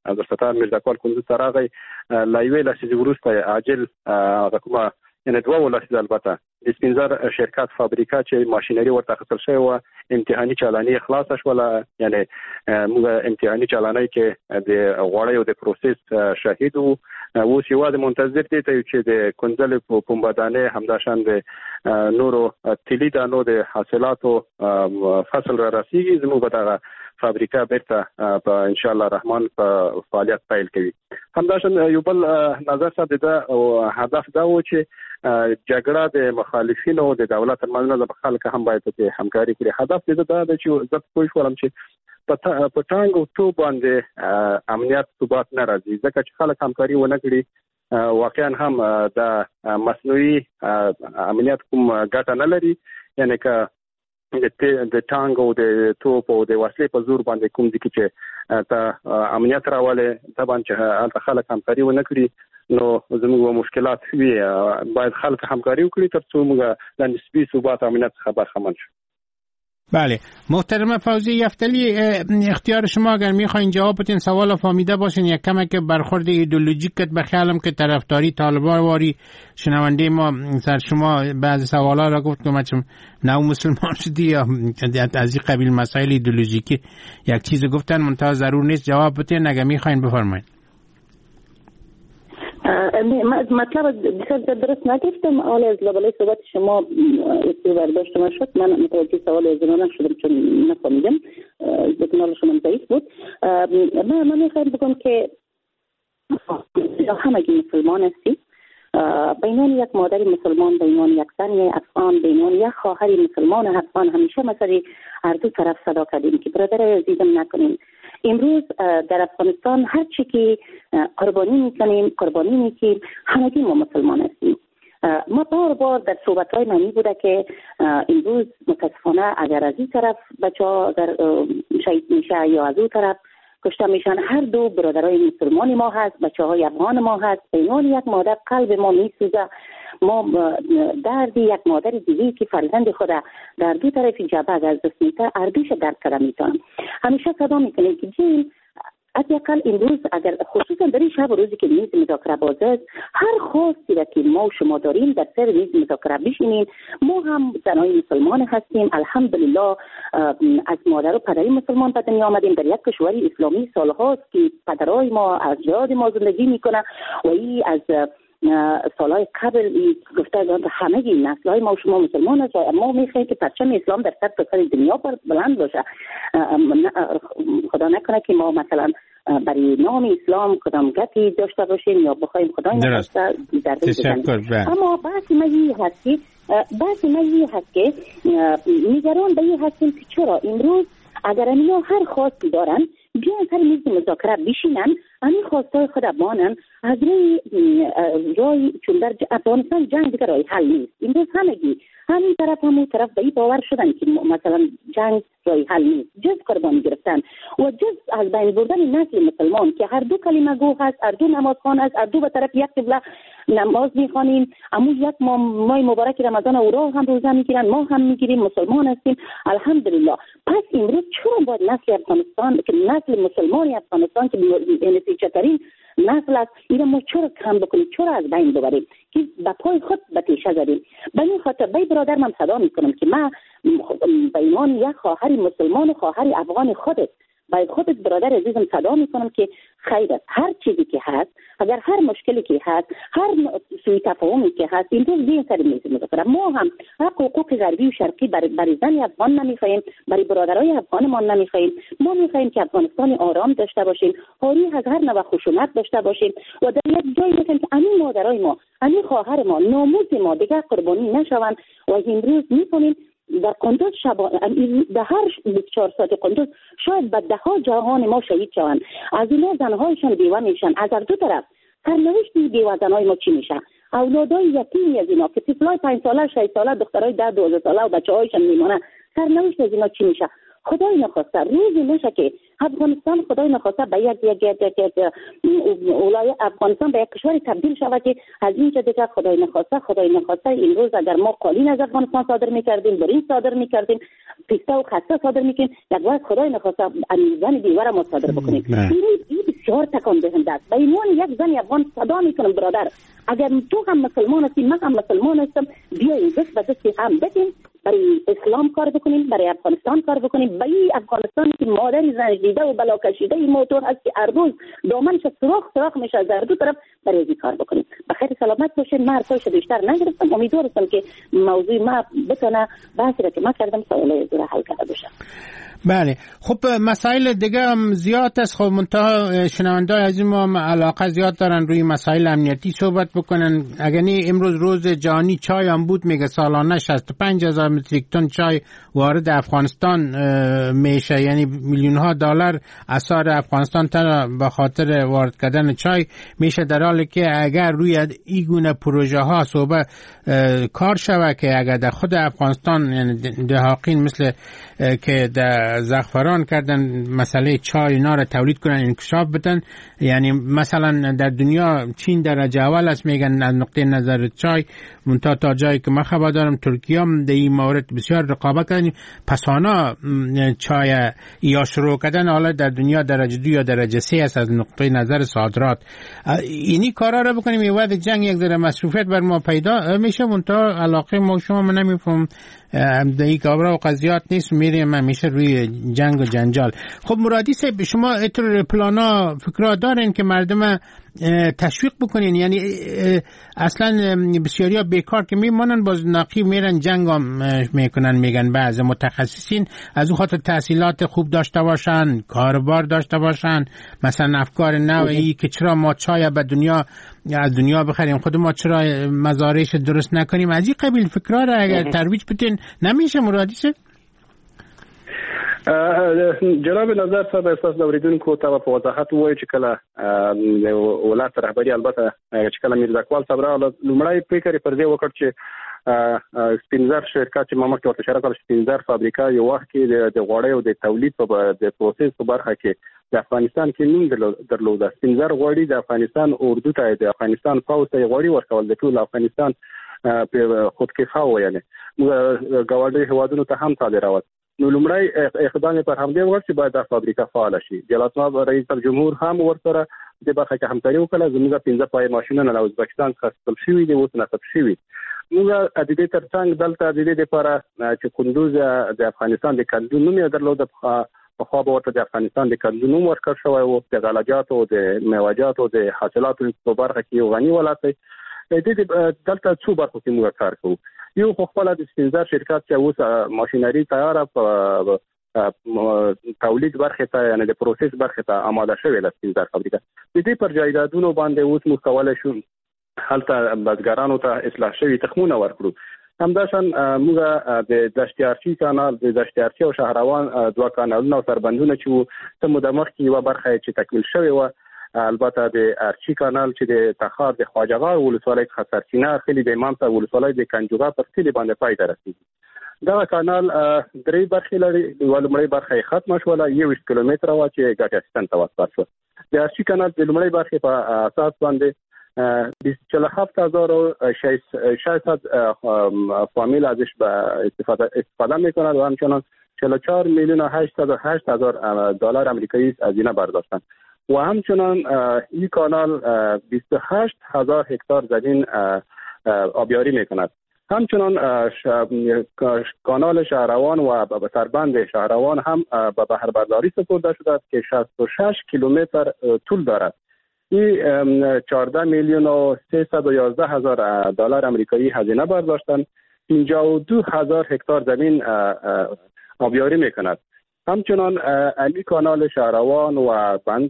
عبدالستار میرزاکوال کندوز ته راغی له یوې لسیزې وروسته عاجل هغه کومه یعنې دوه لسیزې البته د سپینزر شرکت فابریکه چې ماشینري ورته اخیستل شوې وه امتحاني چالاني یې خلاصه شوله. یعنې موږ امتحاني چالانۍ کې د غوړیو د پروسس شاهد وو. اوس یوازې منتظر دې ته یو چې د کنځلې پنبه دانې همداشان د نورو تیلي دانو د حاصلاتو فصل را رسیږي، زموږ به دغه فابریکه بیرته په ان شاء الله رحمان په فعالیت پیل کوي. همداشان یو بل نظر صاحب د هدف دا و چې جګړه د مخالفینو د دولت ترمنځ نه د خلک هم باید پکې همکاري کړي. هدف د دا دی چې زه پوه شولم چې په ټانګ او توپ باندې امنیت ثبات نه راځي، ځکه چې خلک همکاري ونه کړي واقعا هم د مصنوعي امنیت کوم ګټه نه لري. یعنې که د ټانګ او د توپ او د وسلې په زور باندې کوم ځای کې چې ته امنیت راولې طبعا چې هلته خلک همکاري ونه کړي نو زموږ مشکلات وي. باید خلک همکاري وکړي ترڅو موږ له نسبي ثبات امنیت څخه برخمن شو. بله محترمه فوزی یفتلی، اختیار شما، اگر میخواین جواب بدین سوال فهمیده باشین. یک کمک که برخورد ایدئولوژیک کد به خیالم که طرفداری طالبان واری شنونده ما سر شما بعضی سوالا را گفت که ما چون نو مسلمان شدی یا از این قبیل مسائل ایدئولوژیکی یک چیز گفتن، منتها ضرور نیست جواب بدین، اگر میخواین بفرمایید. مطلب بسیار درست نگفتم. حالا از لابلای صحبت شما برداشت من شد، من متوجه سوال از اینا نشدم چون نفهمیدم، سیگنال شما ضعیف بود. من من میخوایم بگم که همگی مسلمان هستیم، به عنوان یک مادر مسلمان، به عنوان یک زن افغان، به عنوان یک خواهر مسلمان افغان، همیشه مثلا هر دو طرف صدا کردیم که برادر عزیزم نکنیم. امروز در افغانستان هر چی که قربانی میکنیم قربانی میکنیم، همگی ما مسلمان هستیم. ما بار بار در صحبت‌های من بوده که امروز متاسفانه اگر از این طرف بچه‌ها اگر شهید میشه یا از اون طرف کشته میشن، هر دو برادرای مسلمان ما هست، بچه های افغان ما هست. به عنوان یک مادر قلب ما میسوزه، ما درد یک مادر دیگه که فرزند خود در دو طرف جبهه از دست میده، هر دوش درد کرده میتونم. همیشه صدا میکنیم که جیم حداقل امروز اگر خصوصا در این شب و روزی که میز مذاکره باز است، هر خواستی را که ما و شما داریم در سر میز مذاکره بشینیم. ما هم زنای مسلمان هستیم، الحمدلله از مادر و پدری مسلمان به دنیا آمدیم، در یک کشور اسلامی سالهاست که پدرای ما اجداد ما زندگی میکنه و این از سالهای قبل گفته همه نسل‌های ما و شما مسلمان است و ما میخواهیم که پرچم اسلام در سر تا سر دنیا بلند باشه. خدا نکنه که ما مثلا برای نام اسلام کدام گپی داشته باشیم یا بخوایم خدای نخواسته ضربه بزنیم. اما بحث ما این هست که بحث ما این هست که نگران به این هستیم که چرا امروز اگر اینا هر خواستی دارن بیان سر میز مذاکره بشینن، همین خواستای خود بانن از روی رای، چون در افغانستان جنگ دیگه رای حل نیست. امروز همگی همین طرف همون طرف به این باور شدن که مثلا جنگ رای حل نیست، جز قربانی گرفتن و جز از بین بردن نسل مسلمان که هر دو کلمه گو هست، هر دو نمازخوان هست، هر دو به طرف یک قبله نماز میخوانیم، امو یک ماه مبارک رمضان او را هم روزه میگیرن، ما هم میگیریم، مسلمان هستیم الحمدلله. پس امروز چرا باید نسل افغانستان که نسل مسلمان افغانستان که نتیجه نسل است، اینو ما چرا کم بکنیم، چرا از بین ببریم که به پای خود به تیشه زدیم؟ به این خاطر به برادر من صدا میکنم که من به ایمان یک خواهر مسلمان و خواهر افغان خودت، باید خودت برادر عزیزم صدا میکنم که خیر است، هر چیزی که هست، اگر هر مشکلی که هست، هر سوء تفاهمی که هست، امروز بیاین سر میز مذاکره. ما هم حق حقوق غربی و شرقی برای بر زن افغان نمیخواهیم، برای برادرای افغان ما نمیخواهیم. ما میخواهیم که افغانستان آرام داشته باشیم، حاری از هر نوع خشونت داشته باشیم و در یک جایی میخواهیم که همین مادرای ما، همین خواهر ما، ناموس ما دیگر قربانی نشوند. و امروز میکنیم در قندوز شب، در هر بیست و چهار ساعت قندوز شاید به ده ها جوان ما شهید شوند، از اینا زنهایشان بیوه میشن، از هر دو طرف سرنوشت بیوه زنهای ما چی میشه؟ اولادای یتیمی از اینا که طفلای پنج ساله، شش ساله، دخترای ده دوازده ساله و بچه هایشان میمانه، سرنوشت از اینا چی میشه؟ خدای نخواسته روزی نشه که افغانستان خدای نخواسته به یک یک یک یک یک ولایت افغانستان به یک کشور تبدیل شود که از اینجا دیگه خدای نخواسته خدای نخواسته امروز اگر ما قالین از افغانستان صادر میکردیم، برنج صادر میکردیم، پسته و خسته صادر میکنیم، یک وقت خدای نخواسته زن بیوه ما صادر بکنیم. این بسیار تکان دهنده است. به عنوان یک زن افغان صدا میکنم برادر، اگر تو هم مسلمان هستی، من هم مسلمان هستم، بیایم دست به دست هم بدیم، برای اسلام کار بکنیم، برای افغانستان کار بکنیم. برای افغانستان که مادر زنج دیده و بلا کشیده این موتور هست که هر روز دامنش سوراخ سوراخ میشه از هر دو طرف، برای این کار بکنیم. بخیر سلامت باشین. من حرفایش بیشتر نگرفتم، امیدوارم که موضوع ما بتونه بحثی را که ما کردم سوالای را حل کرده باشه. بله خب مسائل دیگه هم زیاد است. خب منتها شنونده‌های عزیز ما هم علاقه زیاد دارن روی مسائل امنیتی صحبت بکنن. اگر نه امروز روز جهانی چای هم بود، میگه سالانه شصت و پنج هزار متریک تن چای وارد افغانستان میشه، یعنی میلیون ها دلار اثار افغانستان تنها به خاطر وارد کردن چای میشه، در حالی که اگر روی این گونه پروژه ها صحبت کار شود که اگر در خود افغانستان، یعنی دهاقین مثل که در زعفران کردن، مسئله چای اینا را تولید کنن، انکشاف بدن. یعنی مثلا در دنیا چین درجه اول است میگن از نقطه نظر چای، منتها تا جایی که من خبر دارم ترکیه هم در این مورد بسیار رقابت کردن، پس آنها چای یا شروع کردن، حالا در دنیا درجه دو یا درجه سه است از نقطه نظر صادرات. اینی کارا را بکنیم، یه وقت جنگ یک ذره مصروفیت بر ما پیدا میشه، منتها علاقه ما شما من نمیفهم در این کارا و قضیات نیست، میریم همیشه روی جنگ و جنجال. خب مرادی صاحب، شما اتر پلانا فکرها دارین که مردم تشویق بکنین؟ یعنی اصلا بسیاریا بیکار که میمانن باز ناقی میرن جنگ هم میکنن، میگن بعض متخصصین از اون خاطر تحصیلات خوب داشته باشن، کاروبار داشته باشن، مثلا افکار نوعی که چرا ما چای به دنیا از دنیا بخریم، خود ما چرا مزارعش درست نکنیم، از این قبیل فکرها را اگر ترویج بدین نمیشه مرادی صاحب؟ جناب نظر صاحب، احساس اوریدونکو ته په وضاحت ووایو چې کله ولایت رهبري، البته چې کله میرزاکوال صاحب راغله، لومړی فکر یې پر دې وکړ چې سپینزر شرکت چې ما مخکې ورته اشاره کړه، سپینزر فابریکه یو وخت کې د غوړیو د تولید په د پروسس په برخه کې د افغانستان کې نوم درلوده. سپینزر غوړي د افغانستان اردو ته، د افغانستان پوځ ته یې غوړي ورکول، د ټول افغانستان په خودکفا و، یعنې موږ ګاونډیو هېوادونو ته هم صادرول. نو لومړی اقدام یې پر همدې وکړ چې باید دا فابریکه فعاله شي. جلالتمآب رئیس الجمهور هم ورسره دې برخه کې همکاري وکړه. زموږ پنځه پایې ماشینونه له ازبکستان څخه اخیستل شوي دي، اوس نصب شوي. موږ د دې ترڅنګ دلته د دې لپاره چې کندوز د افغانستان د کندو نوم یې درلود، پخوا به ورته د افغانستان د کندو نوم ورکړ شوی و، د غلجاتو، د میوهجاتو، د حاصلاتو په برخه کې یو غني ولایت دی. د دې دلته څو برخو کې موږ کار کوو. یو خو خپله د سپینزر شرکت چې اوس ماشینري تیاره په تولید برخې ته، یعنې د پروسس برخې ته آماده شوې ده سپینزر فابریکه. د دې پر جایدادونو باندې اوس موږ کولی شو هلته بزګرانو ته اصلاح شوي تخمونه ورکړو. همداشان موږ د دشت ارچي کانال، د دشت ارچي او شهروان دوه کانالونه او سربندونه چې وو، څه موده مخکې یوه برخه یې چې تکمیل شوې وه، البته د ارچي کانال چې د تخار د خواجه غار ولسوالۍ څخه سرچینه اخلي، د امام صاحب ولسوالۍ د کنجوغه پر کلي باندې پای ته رسېږي. دغه کانال درې برخې لري. یوه لومړۍ برخه یې ختمه شوله، یوویشت کیلومتره وه چې ګټې اخیستنې ته وسپارل شوه. د ارچي کانال د لومړۍ برخې په اساس باندې چهل و هفت هزار و ششصد فامیل ازش استفاده استفاده میکنند و همچنان چهل و چهار میلیون و هشتصد و هشت هزار دلار آمریکایی هزینه برداشتند و همچنان این کانال بیست و هشت هزار هکتار زمین آبیاری میکند. همچنان کانال شهروان و سربند شهروان هم به بهره برداری سپرده شده است که شصت و شش کیلومتر طول دارد. این چهارده میلیون و سیصد و یازده هزار دلار آمریکایی هزینه برداشتند. پنجاه و دو هزار هکتار زمین آبیاری میکند. همچنان امی کانال شهروان و بند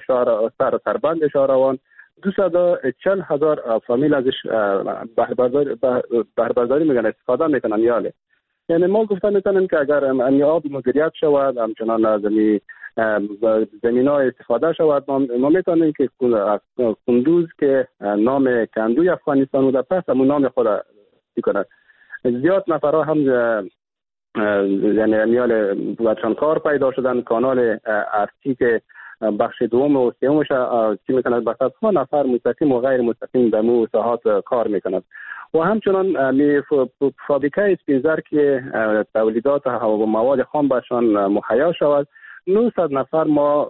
شهر سر سربند شهروان دویست و چهل هزار فامیل ازش بهره برداری میکنن، استفاده میکنن. یاله یعنی ما گفتن میتونیم که اگر امی آب مدیریت شود، همچنان از امی زمین ها استفاده شود، ما میتونیم که کندوز که نام کندوی افغانستان بوده، پس همون نام خود میکنه. زیاد نفرها هم یعنی امیال بچان کار پیدا شدن. کانال ارچی که بخش دوم و سومش چی میکند، به صدها نفر مستقیم و غیر مستقیم در مو ساحات کار میکند. و همچنان می فابریکه اسپینزر که تولیدات و مواد خام برشان مهیا شود، نهصد نفر ما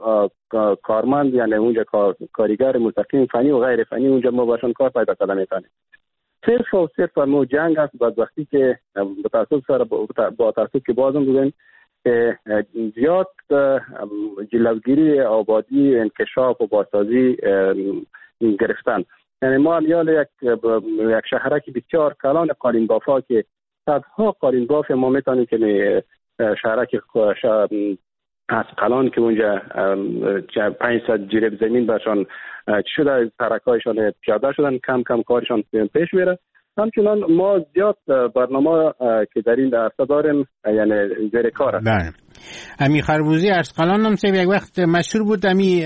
کارمند، یعنی اونجا کاریگر مستقیم فنی و غیر فنی اونجا ما باشون کار پیدا کرده میتونیم. صرف و صرف مو جنگ است. بدبختی که با تاسف سر با تاسف که بازم بگویم که زیاد جلوگیری آبادی، انکشاف و بازسازی گرفتن. یعنی ما امیال یک یک شهرک بسیار کلان قالین بافا که صدها قالین باف ما میتونیم که شهرک از قلان که اونجا پانصد جریب زمین برشان شده، سرکایشان پیاده شدن، کم کم کارشان پیش میره. همچنان ما زیاد برنامه که در این عرصه داریم یعنی زیر کار است. بله. امی خربوزی ارسقلان هم سیب یک وقت مشهور بود، امی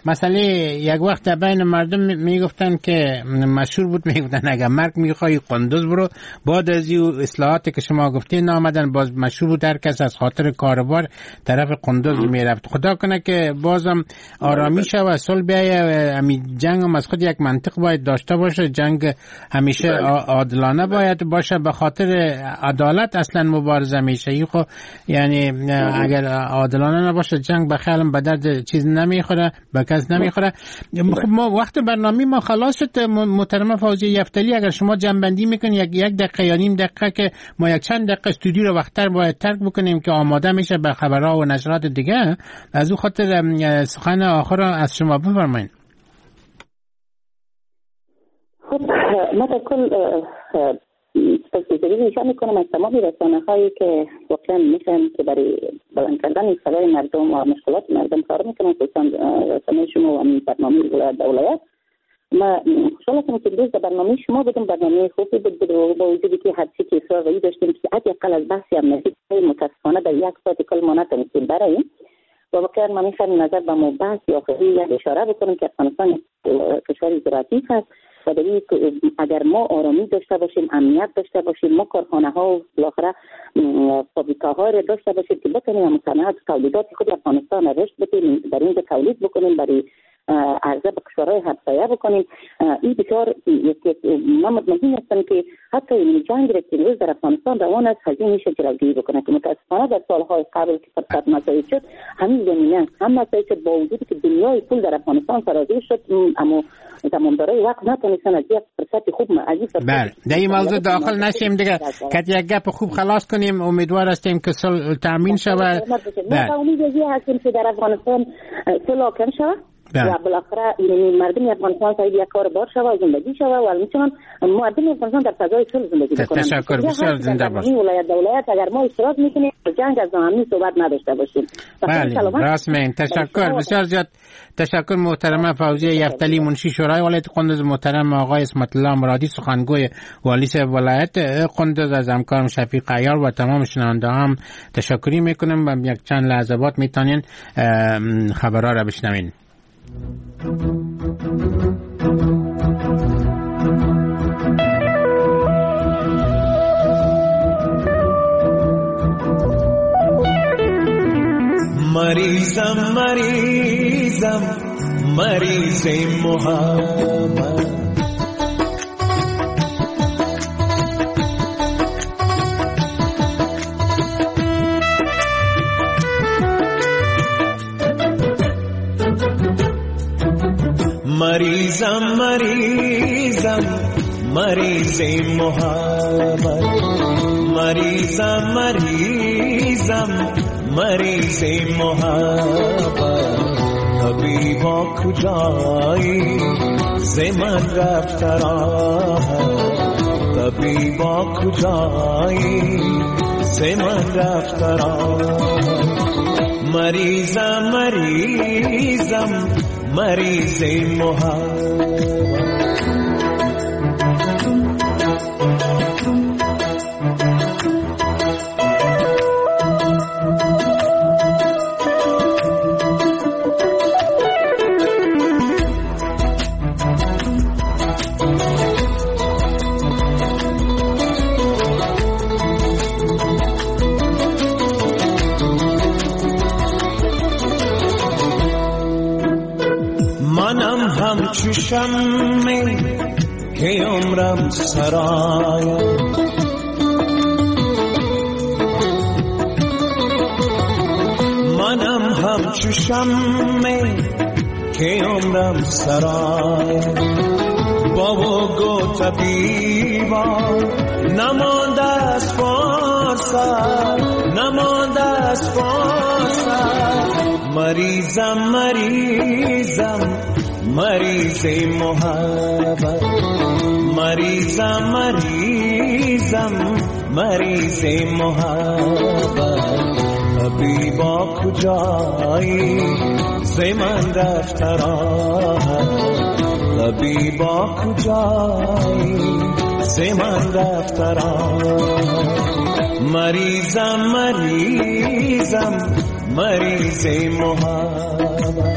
مسئله یک وقت بین مردم میگفتن که مشهور بود، میگفتن اگر مرگ میخوای قندوز برو. بعد از این اصلاحات که شما گفتین آمدن باز مشهور بود، هر کس از خاطر کاروبار طرف قندوز میرفت. خدا کنه که بازم آرامی شود، صلح بیایه. امی جنگ هم از خود یک منطق باید داشته باشه، جنگ همیشه عادلانه باید باشه، به خاطر عدالت اصلا مبارزه میشه. خب یعنی اگر عادلانه نباشه جنگ به خیالم به درد چیز نمیخوره، به کس نمیخوره. خب ما وقت برنامه ما خلاص شد. محترمه فوزیه یفتلی، اگر شما جنبندی میکنید یک یک دقیقه یا نیم دقیقه، که ما یک چند دقیقه استودیو رو وقت‌تر باید ترک بکنیم که آماده میشه به خبرها و نشرات دیگه، از او خاطر سخن آخر از شما بفرمایید. خب ما در کل سپاسگزاری نشان میکنم از تمام رسانه هایی که واقعا میشن که برای بلند کردن صدای مردم و مشکلات مردم کار میکنن، خصوصا رسانه شما و برنامه ولایت ولایت. ما خوشحال هستم که امروز در برنامه شما بودم، برنامه خوبی بود با وجودی که هرچی که اصرار داشتیم که حداقل از بحث امنیتی متاسفانه در یک ساعت کل ما نتونستیم براییم و واقعا من میخوام نظر به ما بحث آخری یک اشاره بکنم که افغانستان کشور زراعتی هست و در اگر ما آرامی داشته باشیم، امنیت داشته باشیم، ما کارخانه ها و بالاخره فابریکه ها را داشته باشیم که بتونیم صنعت تولیدات خود افغانستان را رشد بدیم، در اینجا تولید بکنیم، برای عرضه به کشورهای همسایه بکنیم. این بسیار من مطمئن هستم که حتی این جنگ را که امروز در افغانستان روان است هزینه میشه جلوگیری بکنه که متاسفانه در سالهای قبل که فرصت مساعد شد همین زمینه هم مساعد شد، با وجودی که دنیای پول در افغانستان سرازیر شد، اما زمامدارای وقت نتونستن از یک فرصت خوب از این فرصت. بله، در این موضوع داخل نشیم دیگه، که یک گپ خوب خلاص کنیم. امیدوار هستیم که صلح تامین شود. ما امید هستیم که در افغانستان صلح حاکم شود و بالاخره مردم افغانستان صاحب یک کار بار شود و زندگی شود و همچنان مردم افغانستان در فضای صلح زندگی بکنند. تشکر، بسیار زنده باشید. ولایت ولایت اگر ما اشتراک میکنیم جنگ از ناامنی صحبت نداشته باشیم. بله، راست میگین. تشکر بسیار زیاد. تشکر محترمه فوزیه یفتلی، منشی شورای ولایت قندوز، محترم آقای عصمت الله مرادی، سخنگوی والی ولایت قندوز، از همکارم شفیق عیار و تمام شنونده هم تشکری میکنم و یک چند لحظه بعد میتونین خبرها را بشنوین. مریضم مریضم مریض محبت، مریضم مریضم مریض محبت، مریضم مریضم مریض محبت، طبیبا کجایی ز من رفته راحت، طبیبا کجایی ز من رفته راحت، مریضم مریضم مریض محبت. همچو شمع که عمرم سرایم، منم همچو شمع که عمرم سرایم، بابا گو طبیبا نمانده از فرصت، نمانده از فرصت، مریضم مریضم مریض محبت، مریضم مریضم مریض محبت، طبیبا کجایی ز من رفته راحت، طبیبا کجایی ز ز من رفته را. مریضم مریضم مریض محبت.